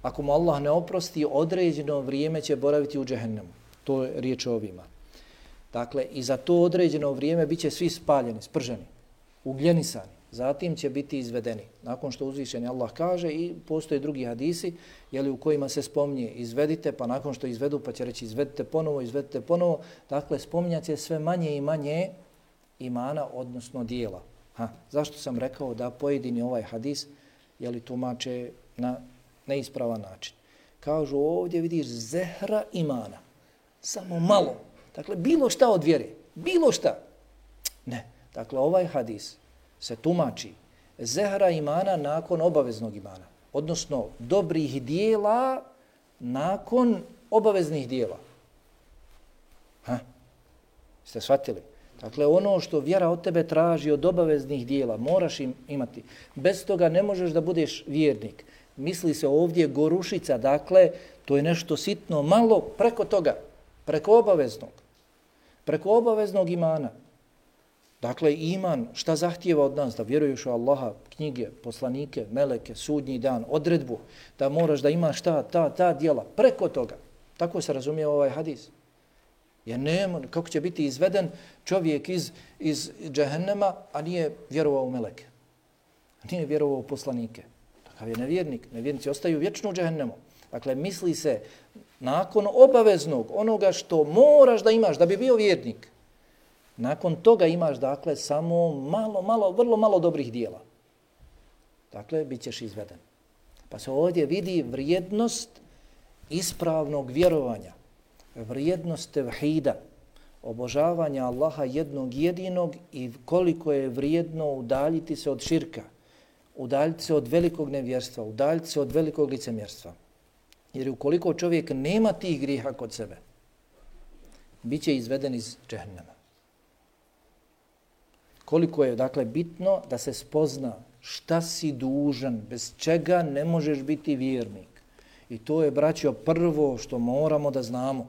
Ako mu Allah ne oprosti, određeno vrijeme će boraviti u džehennemu. To je riječ o ovima. Dakle, i za to određeno vrijeme bit će svi spaljeni, sprženi, ugljenisani. Zatim će biti izvedeni. Nakon što uzvišeni Allah kaže, i postoje drugi hadisi u kojima se spominje izvedite, pa nakon što izvedu pa će reći izvedite ponovo. Dakle, spominjat će sve manje i manje imana, odnosno dijela. Zašto sam rekao da pojedini ovaj hadis tumače na neispravan način? Kažu ovdje vidiš zehra imana. Samo malo. Dakle, bilo šta od vjere. Bilo šta. Ne. Dakle, ovaj hadis se tumači zehra imana nakon obaveznog imana. Odnosno, dobrih dijela nakon obaveznih dijela. Ste shvatili? Dakle, ono što vjera od tebe traži od obaveznih dijela, moraš imati. Bez toga ne možeš da budeš vjernik. Misli se ovdje gorušica, dakle, to je nešto sitno, malo preko toga, preko obaveznog imana. Dakle, iman, šta zahtijeva od nas? Da vjeruješ u Allaha, knjige, poslanike, meleke, sudnji dan, odredbu, da moraš da imaš ta djela, preko toga. Tako se razumije ovaj hadis. Jer nema, kako će biti izveden čovjek iz džehennema, a nije vjerovao u meleke. Nije vjerovao u poslanike. Takav je nevjernik. Nevjernici ostaju vječno u džehennemu. Dakle, misli se nakon obaveznog, onoga što moraš da imaš da bi bio vjernik, nakon toga imaš, dakle, samo vrlo malo dobrih dijela. Dakle, bit ćeš izveden. Pa se ovdje vidi vrijednost ispravnog vjerovanja, vrijednost tevhida, obožavanja Allaha jednog jedinog i koliko je vrijedno udaljiti se od širka, udaljiti se od velikog nevjerstva, udaljiti se od velikog licemjerstva. Jer ukoliko čovjek nema tih grijeha kod sebe, bit će izveden iz džehennema. Koliko je, dakle, bitno da se spozna šta si dužan, bez čega ne možeš biti vjernik. I to je, braćo, prvo što moramo da znamo.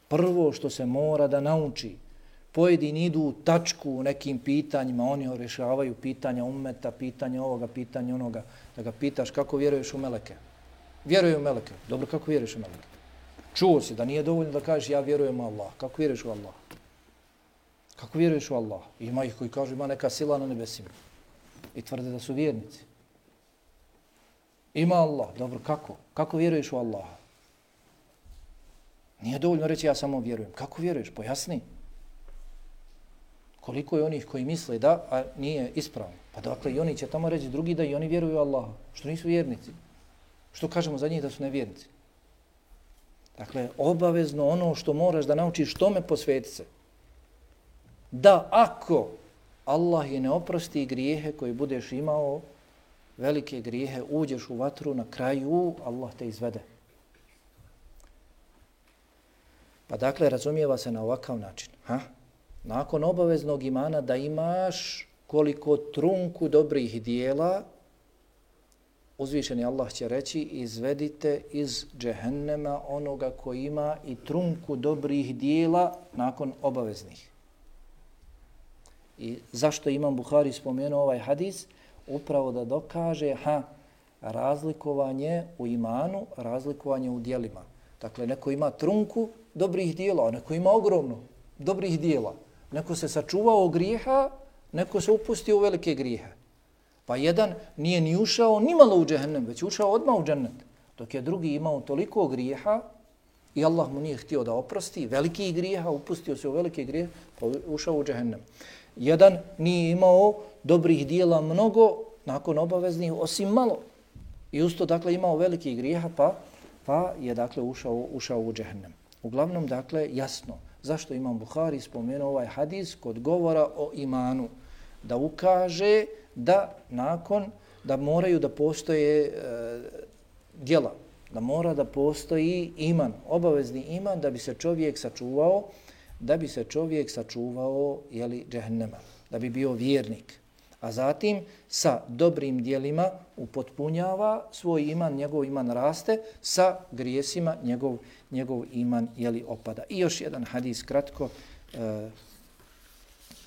Prvo što se mora da nauči. Pojedini idu u tačku u nekim pitanjima, oni rješavaju pitanja ummeta, pitanja ovoga, pitanja onoga. Da ga pitaš kako vjeruješ u meleke. Vjeruje u meleke. Dobro, kako vjeruješ u meleke? Čuo si da nije dovoljno da kažeš ja vjerujem u Allah. Kako vjeruješ u Allah? Kako vjeruješ u Allah? Ima ih koji kažu ima neka sila na nebesima. I tvrde da su vjernici. Ima Allah. Dobro, kako? Kako vjeruješ u Allaha? Nije dovoljno reći ja samo vjerujem. Kako vjeruješ? Pojasni. Koliko je onih koji misle da, a nije ispravno. Pa dakle, i oni će tamo reći drugi da i oni vjeruju u Allaha. Što nisu vjernici? Što kažemo za njih da su nevjernici? Dakle, obavezno ono što moraš da naučiš tome posveti se. Da ako Allah je ne oprosti grijehe koje budeš imao, velike grijehe, uđeš u vatru, na kraju Allah te izvede. Pa dakle, razumijeva se na ovakav način. Nakon obaveznog imana da imaš koliko trunku dobrih dijela, uzvišeni Allah će reći izvedite iz džehennema onoga koji ima i trunku dobrih dijela nakon obaveznih. I zašto Imam Buhari spomenuo ovaj hadis? Upravo da dokaže razlikovanje u imanu, razlikovanje u dijelima. Dakle, neko ima trunku dobrih dijela, a neko ima ogromno dobrih dijela. Neko se sačuvao grijeha, neko se upustio u velike grijehe. Pa jedan nije ni ušao ni malo u džehennem, već ušao odmah u džennet. Dok je drugi imao toliko grijeha i Allah mu nije htio da oprosti velikih grijeha, upustio se u velike grijehe, pa ušao u džehennem. Jedan nije imao dobrih dijela mnogo nakon obaveznih, osim malo. I usto, dakle, imao velikih grijeha, pa je, dakle, ušao u džehennem. Uglavnom, dakle, jasno. Zašto Imam Buhari spomenuo ovaj hadis kod govora o imanu? Da ukaže da moraju da postoje djela, da mora da postoji iman, obavezni iman da bi se čovjek sačuvao džehennema, da bi bio vjernik. A zatim sa dobrim djelima upotpunjava svoj iman, njegov iman raste, sa grijesima njegov iman opada. I još jedan hadis kratko,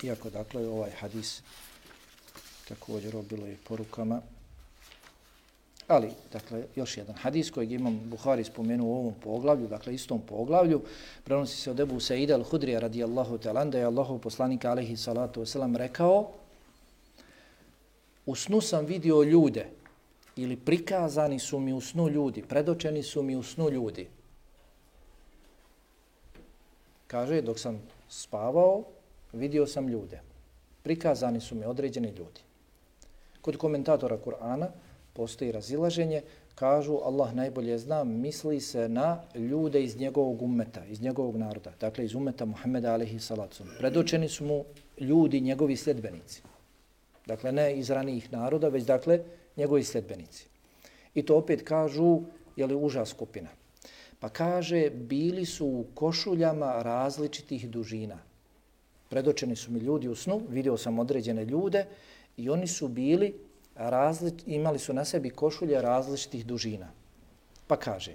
iako dakle ovaj hadis također bilo je porukama, ali dakle još jedan hadis kojeg Imam Buhari spomenuo u ovom poglavlju, dakle istom poglavlju, prenosi se od Ebu Saida al-Hudrija radijallahu ta'ala, da je Allahov poslanik alejhi salatu vesselam rekao: u snu sam vidio ljude, ili prikazani su mi u snu ljudi, predočeni su mi u snu ljudi. Kaže, dok sam spavao, vidio sam ljude. Prikazani su mi određeni ljudi. Kod komentatora Kur'ana postoji razilaženje, kažu Allah najbolje zna, misli se na ljude iz njegovog ummeta, iz njegovog naroda, dakle iz ummeta Muhammeda alejhi salatu. Predočeni su mu ljudi, njegovi sljedbenici. Dakle, ne iz ranijih naroda, već dakle njegovi sljedbenici. I to opet kažu, uža skupina. Pa kaže, bili su u košuljama različitih dužina. Predočeni su mi ljudi u snu, vidio sam određene ljude i oni su bili, imali su na sebi košulje različitih dužina. Pa kaže,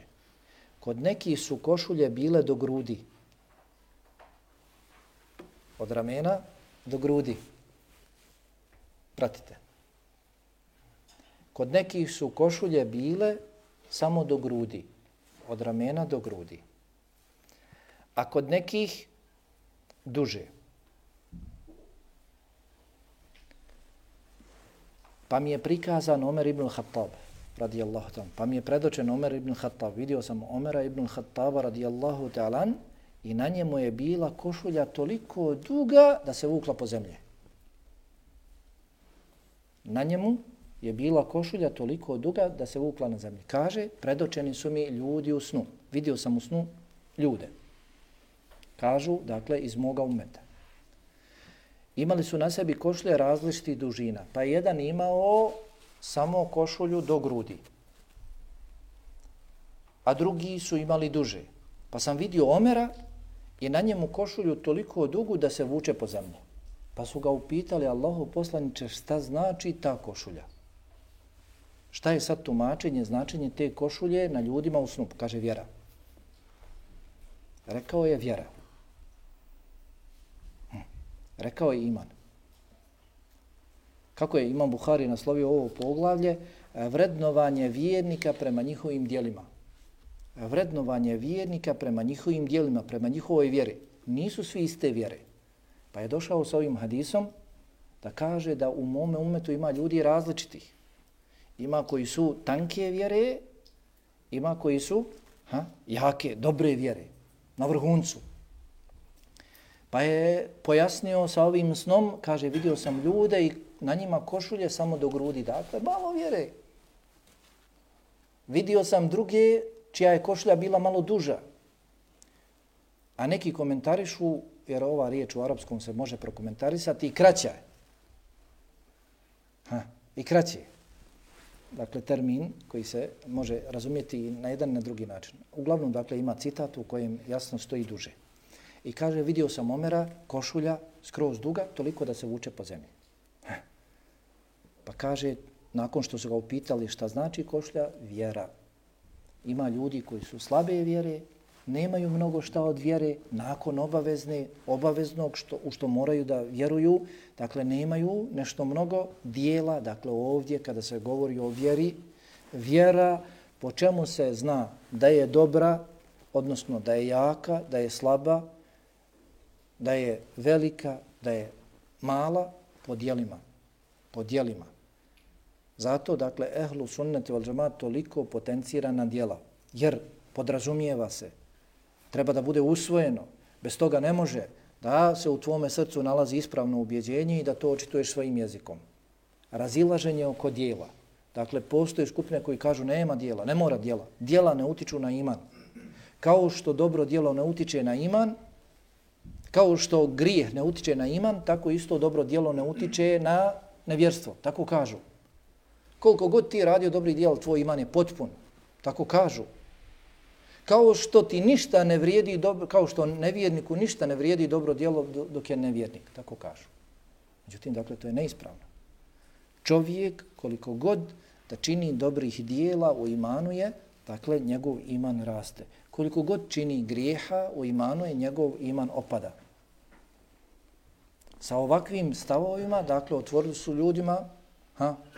kod nekih su košulje bile do grudi. Od ramena do grudi. Pratite. Kod nekih su košulje bile samo do grudi. Od ramena do grudi. A kod nekih duže. Pa mi je prikazan Omer ibn Khattab, radijallahu ta'ala. Pa mi je predočen Omer ibn Khattab. Vidio sam Omera ibn Khattaba, radijallahu ta'ala, i na njemu je bila košulja toliko duga da se vukla po zemlji. Na njemu je bila košulja toliko duga da se vukla na zemlji. Kaže, predočeni su mi ljudi u snu. Vidio sam u snu ljude. Kažu, dakle, iz moga umeta. Imali su na sebi košulje različitih dužina. Pa je jedan imao samo košulju do grudi. A drugi su imali duže. Pa sam vidio Omera i na njemu košulju toliko dugu da se vuče po zemlji. Pa su ga upitali, Allahu poslaniče, šta znači ta košulja? Šta je sad tumačenje, značenje te košulje na ljudima u snu? Kaže vjera. Rekao je vjera. Rekao je iman. Kako je Imam Buhari naslovio ovo poglavlje? Vrednovanje vjernika prema njihovim djelima. Vrednovanje vjernika prema njihovim djelima, prema njihovoj vjeri. Nisu svi iste vjere. Pa je došao sa ovim hadisom da kaže da u mome umetu ima ljudi različitih. Ima koji su tanke vjere, ima koji su jake, dobre vjere, na vrhuncu. Pa je pojasnio sa ovim snom, kaže, vidio sam ljude i na njima košulje samo do grudi, dakle, malo vjere. Vidio sam druge čija je košulja bila malo duža. A neki komentarišu, jer ova riječ u arapskom se može prokomentarisati, i kraća je. I kraće. Dakle, termin koji se može razumjeti na jedan i na drugi način. Uglavnom, dakle, ima citat u kojem jasno stoji duže. I kaže, vidio sam Omera, košulja, skroz duga, toliko da se vuče po zemlji. Pa kaže, nakon što su ga upitali šta znači košulja, vjera. Ima ljudi koji su slabe vjere, nemaju mnogo šta od vjere, nakon obaveznog u što moraju da vjeruju, dakle nemaju nešto mnogo dijela, dakle ovdje kada se govori o vjeri, vjera po čemu se zna da je dobra, odnosno da je jaka, da je slaba, da je velika, da je mala, po djelima. Zato, dakle, ehlu sunneti val džemaat toliko potencirana djela, jer podrazumijeva se, treba da bude usvojeno, bez toga ne može da se u tvome srcu nalazi ispravno ubjeđenje i da to očituješ svojim jezikom. Razilaženje oko djela. Dakle, postoje skupine koji kažu nema djela, ne mora djela. Djela ne utiču na iman. Kao što dobro djelo ne utiče na iman, kao što grijeh ne utiče na iman, tako isto dobro djelo ne utiče na nevjerstvo. Tako kažu. Koliko god ti radio dobrih djela, tvoj iman je potpun. Tako kažu. Kao što ti ništa ne vrijedi dobro, kao što nevjerniku ništa ne vrijedi dobro djelo dok je nevjernik. Tako kažu. Međutim, dakle, to je neispravno. Čovjek, koliko god da čini dobrih djela u imanu je, dakle, njegov iman raste. Koliko god čini grijeha u imanu je, njegov iman opada. Sa ovakvim stavovima, dakle, otvorili su ljudima,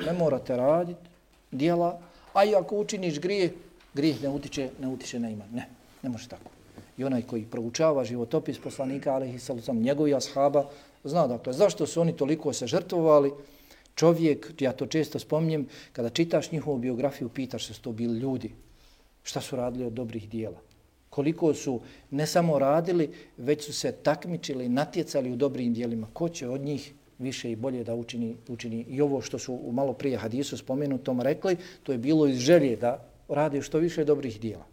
ne morate raditi djela, a i ako učiniš grijeh ne utiče na iman. Ne može tako. I onaj koji proučava životopis poslanika, alejhi sallam, njegovi ashaba, zna, dakle, zašto su oni toliko se žrtvovali. Čovjek, ja to često spominjem, kada čitaš njihovu biografiju, pitaš se su to bili ljudi. Šta su radili od dobrih dijela? Koliko su ne samo radili, već su se takmičili, natjecali u dobrim dijelima. Ko će od njih više i bolje da učini? I ovo što su u malo prije hadisu spomenutom rekli, to je bilo iz želje da radi što više dobrih dijela.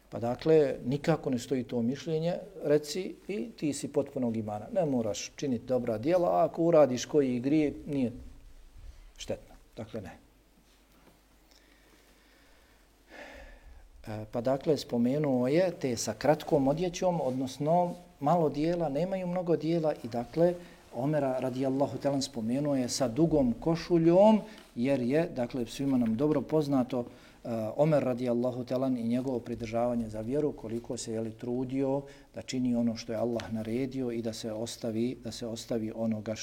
Pa dakle, nikako ne stoji to mišljenje, reci i ti si potpunog imana. Ne moraš činiti dobra dijela, a ako uradiš koji grije, nije štetno. Dakle, ne. Pa dakle, spomenuo je te sa kratkom odjećom, odnosno malo dijela, nemaju mnogo dijela i dakle, Omera radijallahu ta'ala spomenuo je sa dugom košuljom, jer je, dakle, svima nam dobro poznato Omer radijallahu talan i njegovo pridržavanje za vjeru, koliko se trudio da čini ono što je Allah naredio i da se ostavi onoga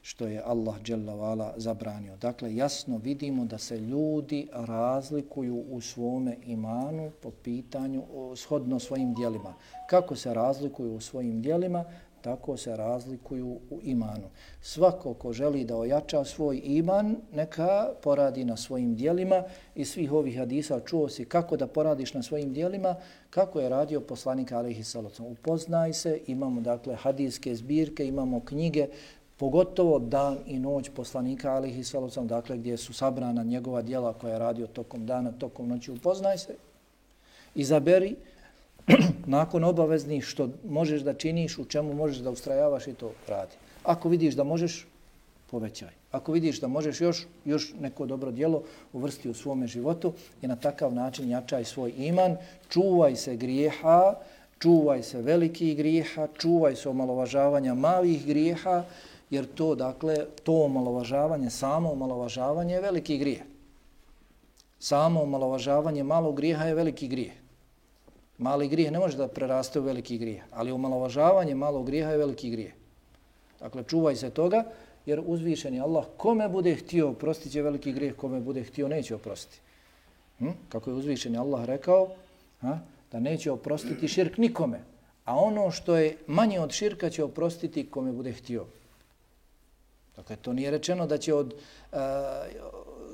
što je Allah dželle ve ala zabranio. Dakle, jasno vidimo da se ljudi razlikuju u svome imanu po pitanju shodno svojim djelima. Kako se razlikuju u svojim djelima, tako se razlikuju u imanu. Svako ko želi da ojača svoj iman, neka poradi na svojim djelima. Iz svih ovih hadisa čuo si kako da poradiš na svojim djelima, kako je radio poslanik alejhi salatu. Upoznaj se, imamo dakle hadijske zbirke, imamo knjige, pogotovo Dan i noć poslanika alejhi salatu, dakle gdje su sabrana njegova djela koja je radio tokom dana, tokom noći. Upoznaj se, izaberi nakon obaveznih što možeš da činiš, u čemu možeš da ustrajavaš i to radi. Ako vidiš da možeš, povećaj. Ako vidiš da možeš još neko dobro djelo uvrsti u svome životu i na takav način jačaj svoj iman, čuvaj se grijeha, čuvaj se velikih grijeha, čuvaj se omalovažavanja malih grijeha, jer to, dakle, to omalovažavanje, samo omalovažavanje je veliki grijeh. Samo omalovažavanje malog grijeha je veliki grijeh. Mali grijeh ne može da preraste u veliki grijeh, ali omalovažavanje malog grijeha je veliki grijeh. Dakle, čuvaj se toga, jer uzvišeni Allah kome bude htio oprostit će veliki grijeh, kome bude htio neće oprostiti. Kako je uzvišeni Allah rekao, da neće oprostiti širk nikome, a ono što je manje od širka će oprostiti kome bude htio. Dakle, to nije rečeno da će od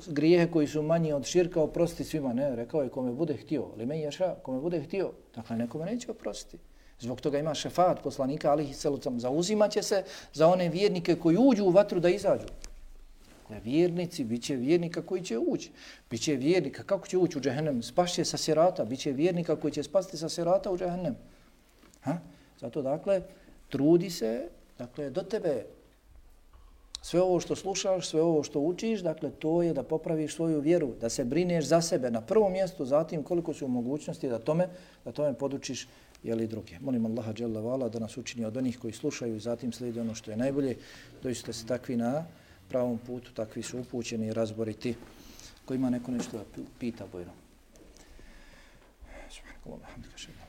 grijehe koji su manji od širka oprostiti svima. Ne, rekao je kome bude htio. Li men ješa, kome bude htio. Dakle, nekome neće oprostiti. Zbog toga ima šefat poslanika alejhi salatu, zauzimaće se za one vjernike koji uđu u vatru da izađu. Dakle, vjernici, bit će vjernika koji će ući. Biće vjernika, kako će ući u džehennem? Spašće sa sirata. Biće vjernika koji će spasti sa sirata u džehennem. Zato, dakle, trudi se, dakle, do tebe sve ovo što slušaš, sve ovo što učiš, dakle, to je da popraviš svoju vjeru, da se brineš za sebe na prvom mjestu, zatim koliko su mogućnosti da tome podučiš druge. Molim Allaha dželle ve ala da nas učini od onih koji slušaju i zatim slijede ono što je najbolje. Doista se takvi na pravom putu, takvi su upućeni i razboriti. Ko ima neko nešto da pita, bojno. Subhanallah, alhamdulillah.